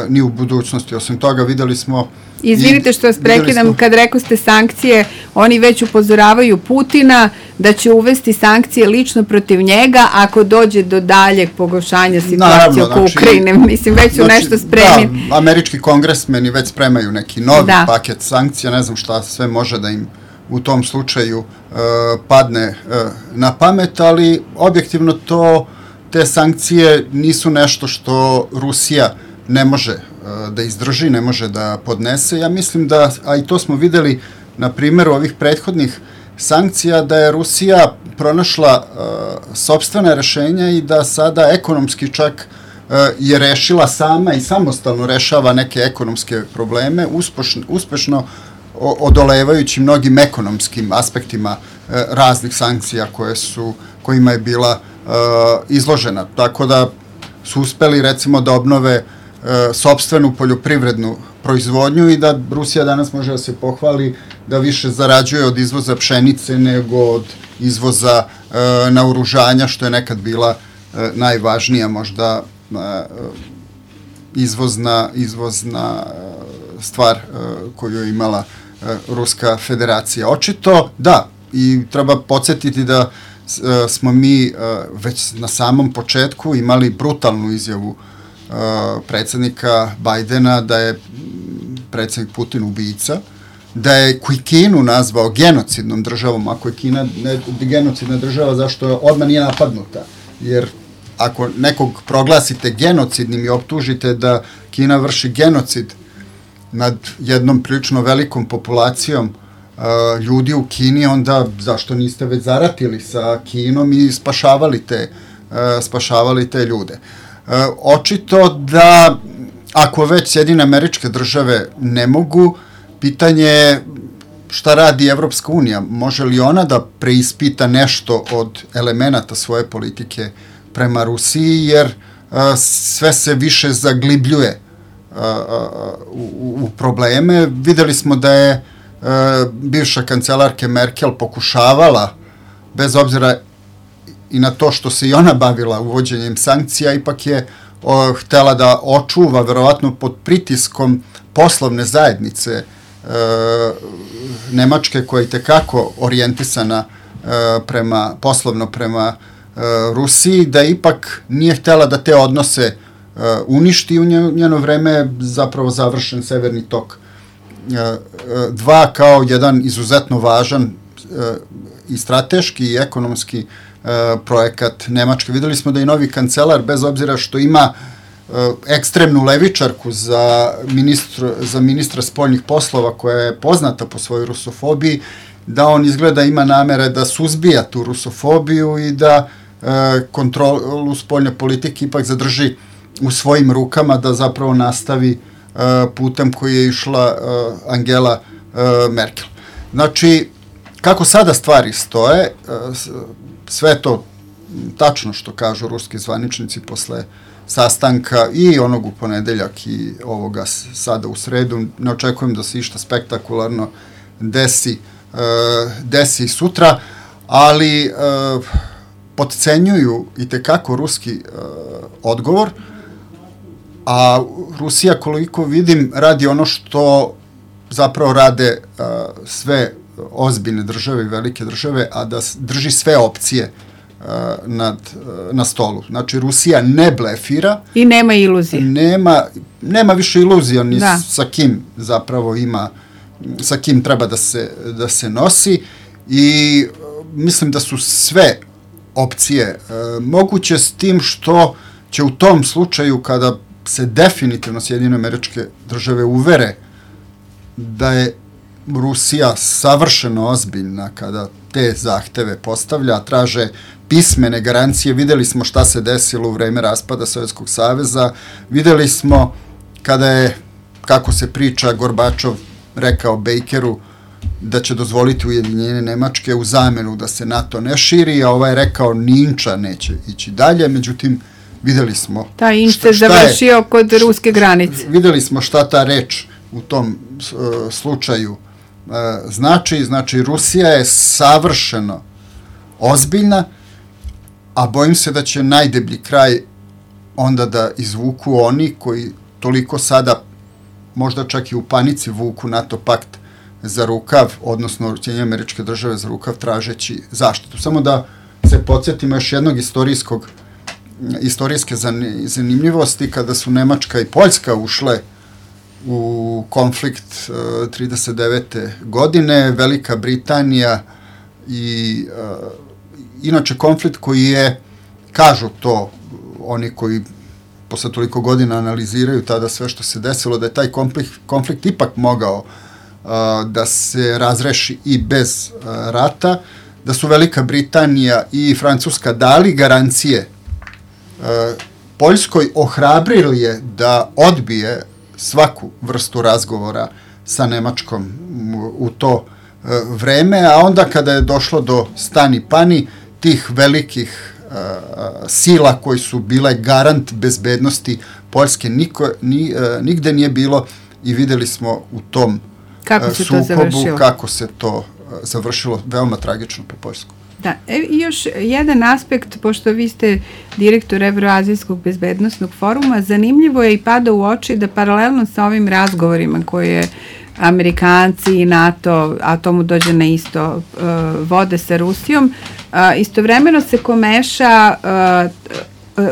ni u budućnosti. Osim toga, videli smo... Izvinite što vas prekidam, kad rekao ste sankcije, oni već upozoravaju Putina da će uvesti sankcije lično protiv njega ako dođe do daljeg pogoršanja situacije oko Ukrajine. Mislim, već su nešto spremni. Da, američki kongresmeni već spremaju neki novi paket sankcija, ne znam šta sve može da im u tom slučaju padne na pamet, ali objektivno te sankcije nisu nešto što Rusija ne može da izdrži, ne može da podnese. Ja mislim da, a i to smo videli na primjeru ovih prethodnih sankcija, da je Rusija pronašla sopstvene rešenja i da sada ekonomski čak je rešila sama i samostalno rešava neke ekonomske probleme, uspešno odolevajući mnogim ekonomskim aspektima raznih sankcija kojima je bila izložena. Tako da su uspeli, recimo, da obnove sopstvenu poljoprivrednu proizvodnju i da Rusija danas može da se pohvali da više zarađuje od izvoza pšenice nego od izvoza naoružanja, što je nekad bila najvažnija možda izvozna stvar koju je imala Ruska federacija. Očito, da, i treba podsjetiti da smo mi već na samom početku imali brutalnu izjavu predsjednika Bajdena da je predsjednik Putin ubica, da je Kinu nazvao genocidnom državom. Ako je Kina genocidna država, zašto odmah nije napadnuta? Jer ako nekog proglasite genocidnim i optužite da Kina vrši genocid nad jednom prilično velikom populacijom ljudi u Kini, onda zašto niste već zaratili sa Kinom i spašavali te ljude? Očito da ako već Sjedinjene Američke Države ne mogu, pitanje je šta radi Evropska unija. Može li ona da preispita nešto od elemenata svoje politike prema Rusiji, jer sve se više zaglibljuje u probleme. Videli smo da je bivša kancelarka Merkel pokušavala, bez obzira i na to što se i ona bavila uvođenjem sankcija, ipak je htela da očuva, verovatno pod pritiskom poslovne zajednice Nemačke, koja je tekako orijentisana poslovno prema Rusiji, da ipak nije htela da te odnose uništi i u njeno vreme je zapravo završen Severni tok 2 kao jedan izuzetno važan i strateški i ekonomski projekat Nemačke. Videli smo da i novi kancelar, bez obzira što ima ekstremnu levičarku za ministra spoljnih poslova, koja je poznata po svojoj rusofobiji, da on izgleda ima namere da suzbija tu rusofobiju i da kontrolu spoljne politike ipak zadrži u svojim rukama, da zapravo nastavi putem koji je išla Angela Merkel. Znači, kako sada stvari stoje, sve to tačno što kažu ruski zvaničnici posle sastanka i onog u ponedeljak i ovoga sada u sredu. Ne očekujem da se išta spektakularno desi sutra, ali podcenjuju i tekako ruski odgovor, a Rusija, koliko vidim, radi ono što zapravo rade sve ozbiljne države i velike države, a da drži sve opcije na stolu. Znači, Rusija ne blefira. I nema iluzije. Nema više iluzija ni sa kim zapravo ima, sa kim treba da se nosi, i mislim da su sve opcije moguće, s tim što će u tom slučaju, kada se definitivno Sjedinjene Američke Države uvere da je Rusija savršeno ozbiljna kada te zahteve postavlja, traže pismene garancije. Videli smo šta se desilo u vreme raspada Sovjetskog saveza, videli smo kada je, kako se priča, Gorbačov rekao Bakeru da će dozvoliti ujedinjenje Nemačke u zamenu da se NATO ne širi, a ovaj je rekao Ninča neće ići dalje, međutim videli smo... Ta Inč se završio kod ruske granice. Videli smo šta ta reč u tom slučaju znači Rusija je savršeno ozbiljna, a bojim se da će najdeblji kraj onda da izvuku oni koji toliko sada možda čak i u panici vuku NATO pakt za rukav, odnosno Sjedinjene Američke Države za rukav, tražeći zaštitu. Samo da se podsjetimo još jednog istorijske zanimljivosti, kada su Nemačka i Poljska ušle u konflikt 39. godine, Velika Britanija i inače konflikt koji je, kažu to oni koji posle toliko godina analiziraju tada sve što se desilo, da je taj konflikt ipak mogao da se razreši i bez rata, da su Velika Britanija i Francuska dali garancije Poljskoj, ohrabrili je da odbije svaku vrstu razgovora sa Nemačkom u to vreme, a onda kada je došlo do stani pani tih velikih sila koji su bile garant bezbednosti Poljske, nigde nije bilo, i videli smo u tom sukobu kako se to završilo veoma tragično po Poljsku. Da, i još jedan aspekt, pošto vi ste direktor Evroazijskog bezbednosnog foruma, zanimljivo je i pada u oči da paralelno sa ovim razgovorima koje Amerikanci i NATO, a tomu dođe na isto, vode sa Rusijom, istovremeno se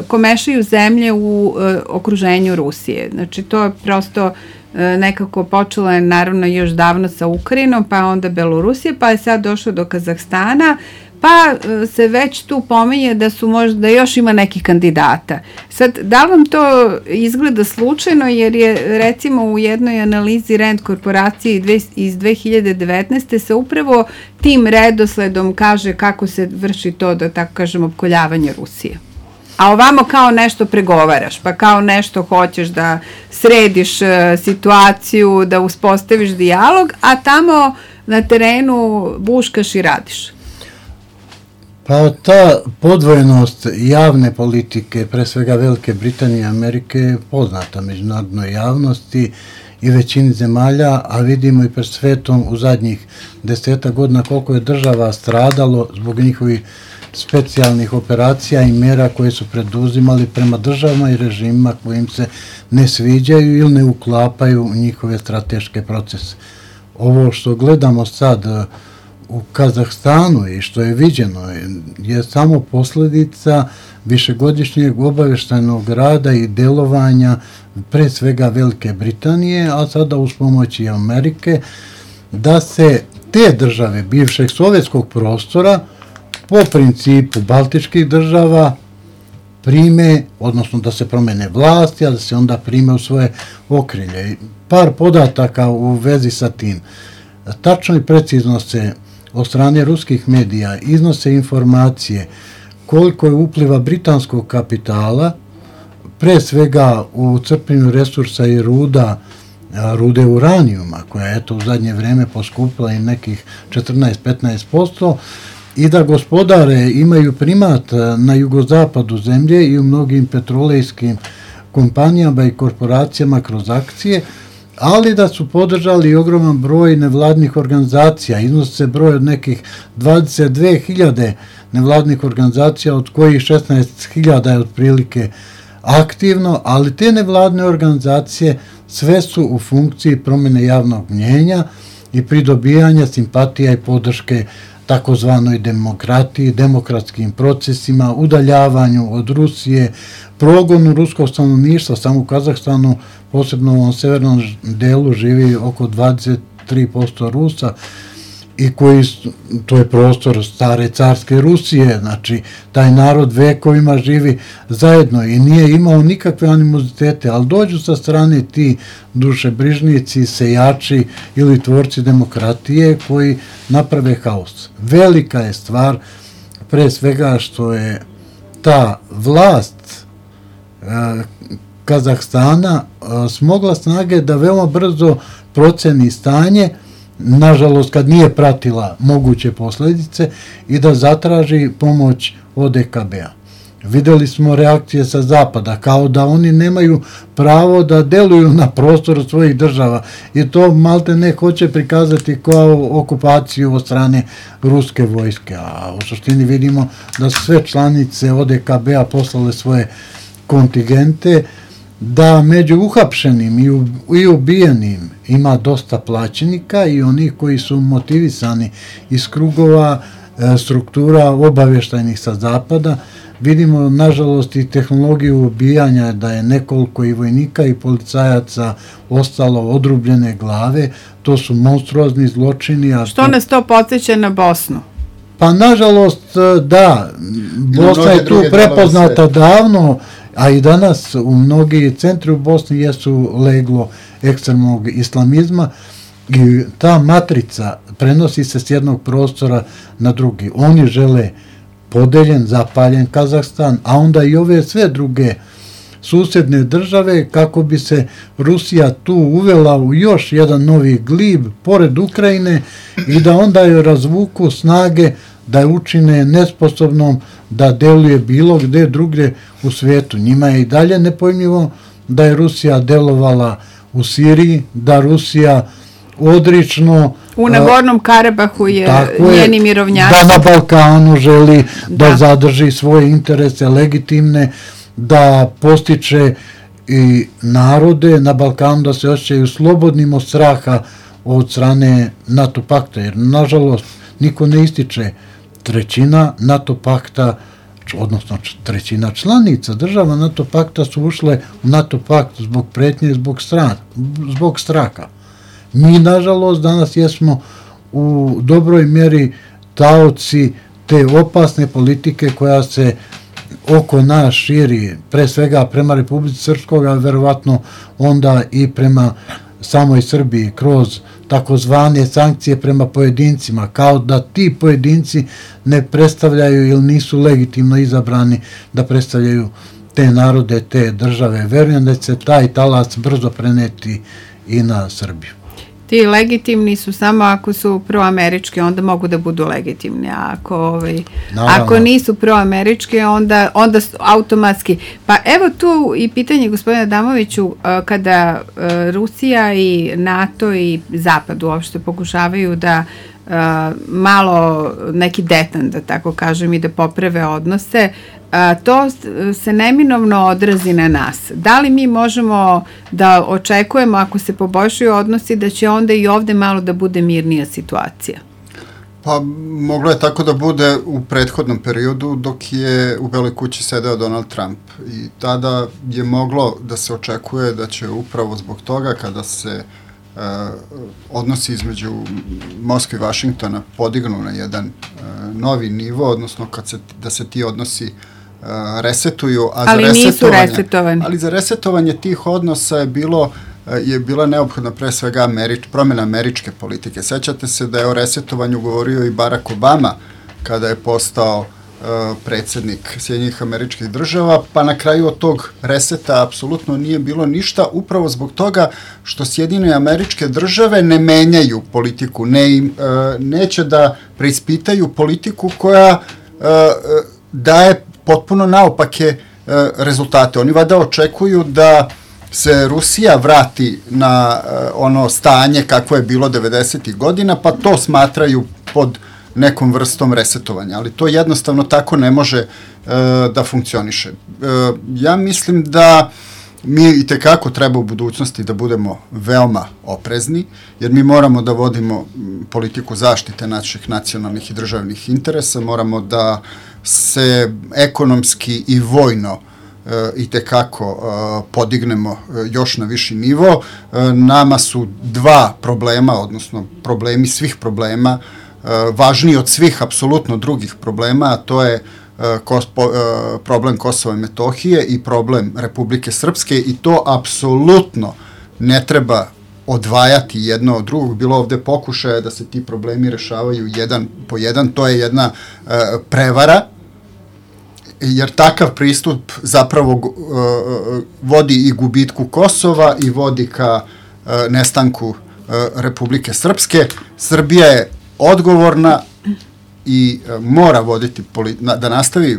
komešaju zemlje u okruženju Rusije. Znači, to je prosto nekako počelo je naravno još davno sa Ukrajinom, pa onda Belorusije, pa je sad došlo do Kazahstana, pa se već tu pominje da su možda još ima nekih kandidata. Sad, da li vam to izgleda slučajno, jer je recimo u jednoj analizi Rand korporacije iz 2019. se upravo tim redosledom kaže kako se vrši to, da tako kažem, opkoljavanje Rusije. A ovamo kao nešto pregovaraš, pa kao nešto hoćeš da središ situaciju, da uspostaviš dijalog, a tamo na terenu buškaš i radiš. Pa ta podvojenost javne politike, pre svega Velike Britanije i Amerike, je poznata međunarodnoj javnosti i većini zemalja, a vidimo i pred svetom u zadnjih 10 godina koliko je država stradalo zbog njihovih specijalnih operacija i mera koje su preduzimali prema državama i režimima koji im se ne sviđaju ili ne uklapaju u njihove strateške procese. Ovo što gledamo sad u Kazahstanu i što je viđeno je samo posljedica višegodišnjeg obaveštajnog rada i delovanja pre svega Velike Britanije, a sada uz pomoć i Amerike, da se te države bivšeg sovjetskog prostora po principu baltičkih država prime, odnosno da se promene vlasti, a da se onda prime u svoje okrilje. Par podataka u vezi sa tim. Tačno i precizno se od strane ruskih medija iznose informacije koliko je upliva britanskog kapitala, pre svega u crpljenju resursa i rude uranijuma, koja je u zadnje vreme poskupila i nekih 14-15%, i da gospodare imaju primat na jugozapadu zemlje i u mnogim petrolejskim kompanijama i korporacijama kroz akcije, ali da su podržali ogroman broj nevladnih organizacija. Iznosi se broj od nekih 22.000 nevladnih organizacija, od kojih 16.000 je otprilike aktivno, ali te nevladne organizacije sve su u funkciji promjene javnog mnjenja i pridobijanja simpatija i podrške takozvanoj demokratiji, demokratskim procesima, udaljavanju od Rusije, progonu ruskog stanovništva. Samo u Kazahstanu, posebno u ovom severnom delu, živi oko 23% Rusa, i to je prostor stare carske Rusije, znači taj narod vekovima živi zajedno i nije imao nikakve animozitete, ali dođu sa strane ti dušebrižnici, sejači ili tvorci demokratije koji naprave haos. Velika je stvar, pre svega, što je ta vlast Kazahstana smogla snage da veoma brzo proceni stanje, nažalost kad nije pratila moguće posljedice, i da zatraži pomoć od EKB-a. Videli smo reakcije sa zapada, kao da oni nemaju pravo da deluju na prostoru svojih država, i to malte ne hoće prikazati kao okupaciju od strane ruske vojske, a u suštini vidimo da su sve članice od EKB-a poslale svoje kontingente, da među uhapšenim i ubijenim ima dosta plaćenika i onih koji su motivisani iz krugova struktura obavještajnih sa zapada. Vidimo, nažalost, i tehnologiju ubijanja, da je nekoliko i vojnika i policajaca ostalo odrubljene glave. To su monstruozni zločini. Što nas to podsjeća na Bosnu? Pa, nažalost, da. Bosna je tu prepoznata davno, a i danas u mnogi centri u Bosni jesu leglo ekstremnog islamizma, i ta matrica prenosi se s jednog prostora na drugi. Oni žele podeljen, zapaljen Kazahstan, a onda i ove sve druge susedne države, kako bi se Rusija tu uvela u još jedan novi glib pored Ukrajine i da onda joj razvuku snage, da je učine nesposobnom da deluje bilo gde drugdje u svijetu. Njima je i dalje nepojmljivo da je Rusija delovala u Siriji, da Rusija odrično u Nagornom Karabahu je njeni mirovnjaci, da na Balkanu želi da zadrži svoje interese legitimne, da postiče i narode na Balkanu da se osjećaju slobodnim od straha od strane NATO pakta, jer nažalost niko ne ističe, trećina NATO pakta, odnosno trećina članica država NATO pakta su ušle u NATO pakt zbog pretnje, zbog straha. Mi, nažalost, danas jesmo u dobroj mjeri taoci te opasne politike koja se oko nas širi, pre svega prema Republici Srpskog, a verovatno onda i prema samoj Srbiji, kroz takozvane sankcije prema pojedincima, kao da ti pojedinci ne predstavljaju ili nisu legitimno izabrani da predstavljaju te narode, te države. Verujem da će se taj talas brzo preneti i na Srbiju. Ti legitimni su samo ako su proamerički, onda mogu da budu legitimni, a ako nisu proamerički, onda automatski. Pa evo tu i pitanje, gospodine Adamoviću, kada Rusija i NATO i Zapad uopšte pokušavaju da malo neki detan, da tako kažem, i da poprave odnose, to se neminovno odrazi na nas. Da li mi možemo da očekujemo, ako se poboljšaju odnosi, da će onda i ovde malo da bude mirnija situacija? Pa moglo je tako da bude u prethodnom periodu dok je u Beloj kući sedeo Donald Trump, i tada je moglo da se očekuje da će upravo zbog toga, kada se odnosi između Moskve i Vašingtona podignu na jedan novi nivo, odnosno da se ti odnosi resetuju, ali nisu resetovani. Ali za resetovanje tih odnosa je bila neophodna pre svega promjena američke politike. Sećate se da je o resetovanju govorio i Barack Obama kada je postao predsjednik Sjedinjenih Američkih Država, pa na kraju od tog reseta apsolutno nije bilo ništa, upravo zbog toga što Sjedinjene Američke Države ne menjaju politiku, neće da preispitaju politiku koja daje potpuno naopake rezultate. Oni vada očekuju da se Rusija vrati na ono stanje kako je bilo 90. godina, pa to smatraju pod nekom vrstom resetovanja, ali to jednostavno tako ne može da funkcioniše. Ja mislim da mi itekako treba u budućnosti da budemo veoma oprezni, jer mi moramo da vodimo politiku zaštite naših nacionalnih i državnih interesa, moramo da se ekonomski i vojno itekako podignemo još na viši nivo. Nama su dva problema, odnosno problemi svih problema, važniji od svih apsolutno drugih problema, a to je problem Kosova i Metohije i problem Republike Srpske, i to apsolutno ne treba odvajati jedno od drugog. Bilo ovde pokušaja da se ti problemi rešavaju jedan po jedan, to je jedna prevara, jer takav pristup zapravo vodi i gubitku Kosova i vodi ka nestanku Republike Srpske. Srbija je odgovorna i mora voditi da nastavi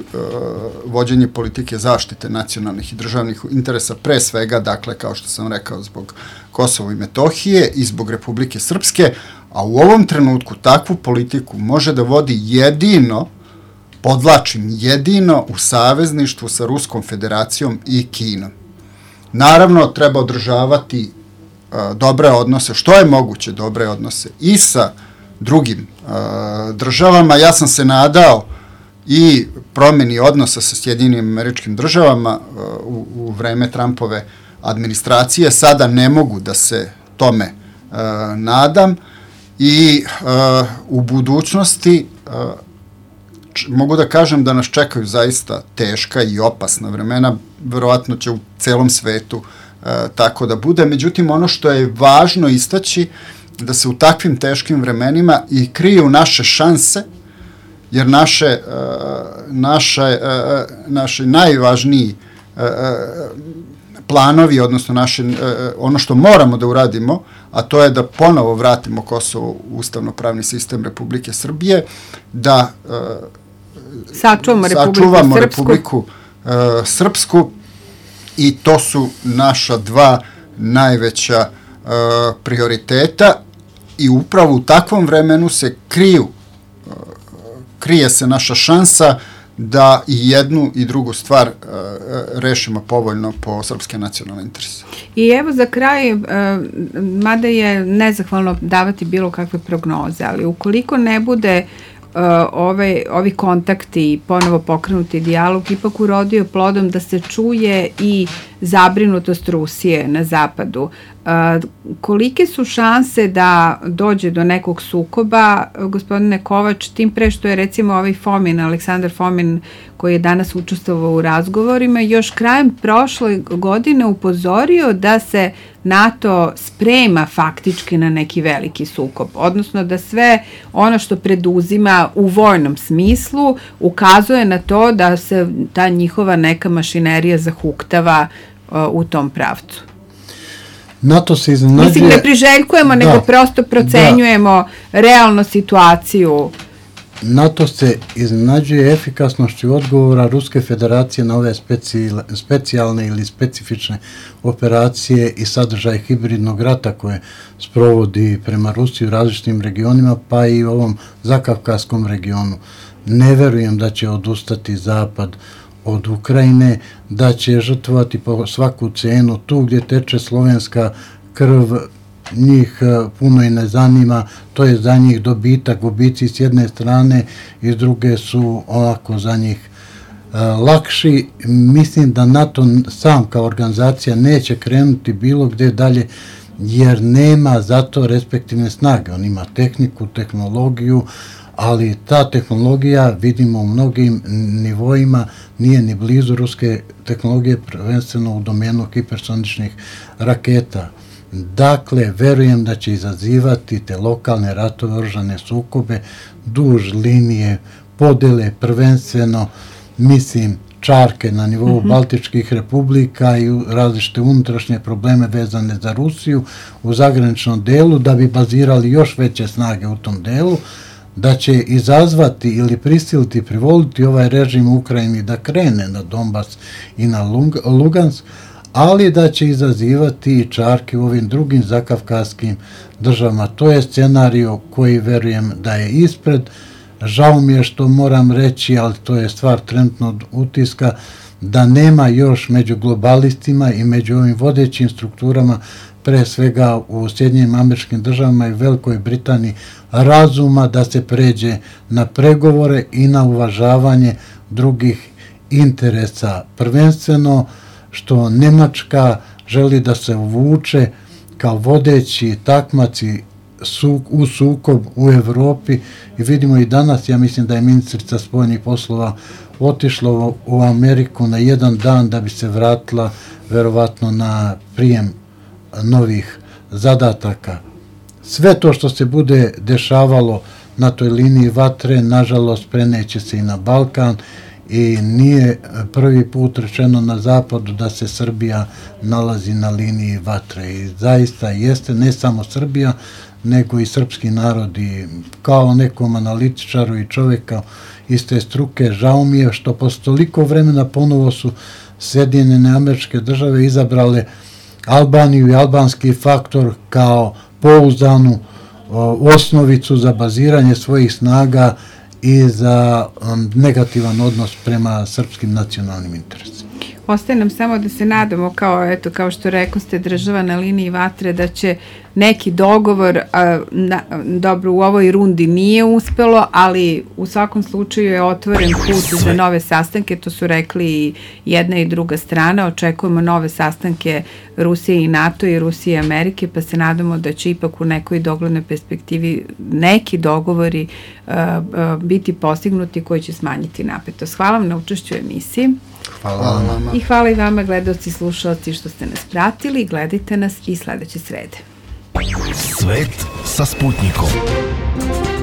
vođenje politike zaštite nacionalnih i državnih interesa, pre svega, dakle, kao što sam rekao, zbog Kosova i Metohije i zbog Republike Srpske, a u ovom trenutku takvu politiku može da vodi jedino, podvlačim, jedino u savezništvu sa Ruskom federacijom i Kinom. Naravno, treba održavati dobre odnose, što je moguće dobre odnose i sa drugim državama. Ja sam se nadao i promeni odnosa sa Sjedinjenim Američkim Državama u vreme Trumpove administracije. Sada ne mogu da se tome nadam i u budućnosti mogu da kažem da nas čekaju zaista teška i opasna vremena, verovatno će u celom svetu tako da bude. Međutim, ono što je važno istaći, da se u takvim teškim vremenima i kriju naše šanse, jer naši najvažniji planovi, odnosno ono što moramo da uradimo, a to je da ponovo vratimo Kosovo u ustavno-pravni sistem Republike Srbije, da sačuvamo Republiku Srpsku, i to su naša dva najveća prioriteta, i upravo u takvom vremenu se krije se naša šansa da i jednu i drugu stvar rešimo povoljno po srpske nacionalne interese. I evo za kraj, mada je nezahvalno davati bilo kakve prognoze, ali ukoliko ne bude ovi kontakti i ponovo pokrenuti dijalog ipak urodio plodom da se čuje i zabrinutost Rusije na zapadu, kolike su šanse da dođe do nekog sukoba, gospodine Kovač, tim pre što je recimo ovaj Fomin, Aleksandar Fomin, koji je danas učestvovao u razgovorima, još krajem prošle godine upozorio da se NATO sprema faktički na neki veliki sukob, odnosno da sve ono što preduzima u vojnom smislu ukazuje na to da se ta njihova neka mašinerija zahuktava u tom pravcu. NATO se iznenađuje... Mislim, ne priželjkujemo, nego prosto procenjujemo realnu situaciju. NATO se iznenađuje efikasnošću odgovora Ruske federacije na ove specijalne ili specifične operacije i sadržaje hibridnog rata koje sprovodi prema Rusiji u različitim regionima, pa i u ovom zakavkaskom regionu. Ne verujem da će odustati Zapad od Ukrajine, da će žrtvovati po svaku cenu tu gdje teče slovenska krv, njih puno i ne zanima, to je za njih dobitak, gubici s jedne strane i s druge su ovako za njih lakši. Mislim da NATO sam kao organizacija neće krenuti bilo gde dalje, jer nema za to respektivne snage. On ima tehniku, tehnologiju, ali ta tehnologija, vidimo u mnogim nivoima, nije ni blizu ruske tehnologije, prvenstveno u domenu hipersoničnih raketa. Dakle, verujem da će izazivati te lokalne ratove, oružane sukobe, duž linije podele, prvenstveno, mislim, čarke na nivou Baltičkih republika i različite unutrašnje probleme vezane za Rusiju u zagraničnom delu, da bi bazirali još veće snage u tom delu, da će izazvati ili prisiliti, privoliti ovaj režim u Ukrajini da krene na Donbas i na Lugansk, ali da će izazivati i čarke u ovim drugim zakavkazskim državama. To je scenario koji verujem da je ispred. Žao mi je što moram reći, ali to je stvar trenutnog utiska, da nema još među globalistima i među ovim vodećim strukturama, pre svega u Sjedinjenim Američkim Državama i Velikoj Britaniji, razuma da se pređe na pregovore i na uvažavanje drugih interesa. Prvenstveno što Nemačka želi da se uvuče kao vodeći takmaci u sukob u Evropi i vidimo i danas, ja mislim da je ministrica spoljnih poslova otišla u Ameriku na jedan dan da bi se vratila verovatno na prijem novih zadataka. Sve to što se bude dešavalo na toj liniji vatre, nažalost, preneće se i na Balkan i nije prvi put rečeno na zapadu da se Srbija nalazi na liniji vatre i zaista jeste ne samo Srbija, nego i srpski narod i kao nekom analitičaru i čoveka iste struke, žao mi je što posle toliko vremena ponovo su Sjedinjene Američke Države izabrale Albaniju i albanski faktor kao pouzdanu osnovicu za baziranje svojih snaga i za negativan odnos prema srpskim nacionalnim interesima. Ostaje nam samo da se nadamo, kao što rekoste, država na liniji vatre, da će neki dogovor, dobro, u ovoj rundi nije uspelo, ali u svakom slučaju je otvoren put za nove sastanke, to su rekli i jedna i druga strana, očekujemo nove sastanke Rusije i NATO i Rusije i Amerike, pa se nadamo da će ipak u nekoj doglednoj perspektivi neki dogovori biti postignuti koji će smanjiti napetost. Hvala vam na učešću u emisiji. Hvala vama. I hvala i vama, gledaoci i slušalci, što ste nas pratili. Gledajte nas i sledeće srede. Svet sa Sputnikom.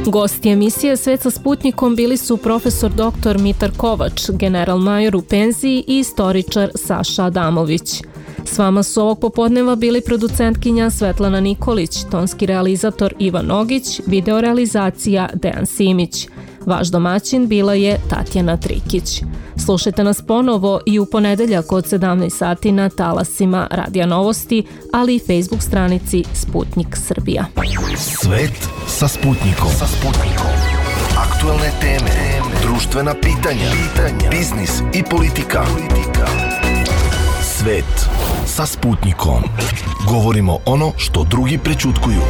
Gosti emisije Svet sa Sputnikom bili su profesor dr. Mitar Kovač, general major u penziji i istoričar Saša Adamović. S vama su ovog popodneva bili producentkinja Svetlana Nikolić, tonski realizator Ivan Nogić, videorealizacija Dejan Simić. Vaš domaćin bila je Tatjana Trikić. Slušajte nas ponovo i u ponedeljak od 17 sati na talasima Radija Novosti, ali i Facebook stranici Sputnik Srbija. Svet sa Sputnikom. Aktuelne teme, društvena pitanja, biznis i politika. Svet sa Sputnikom. Govorimo ono što drugi prećutkuju.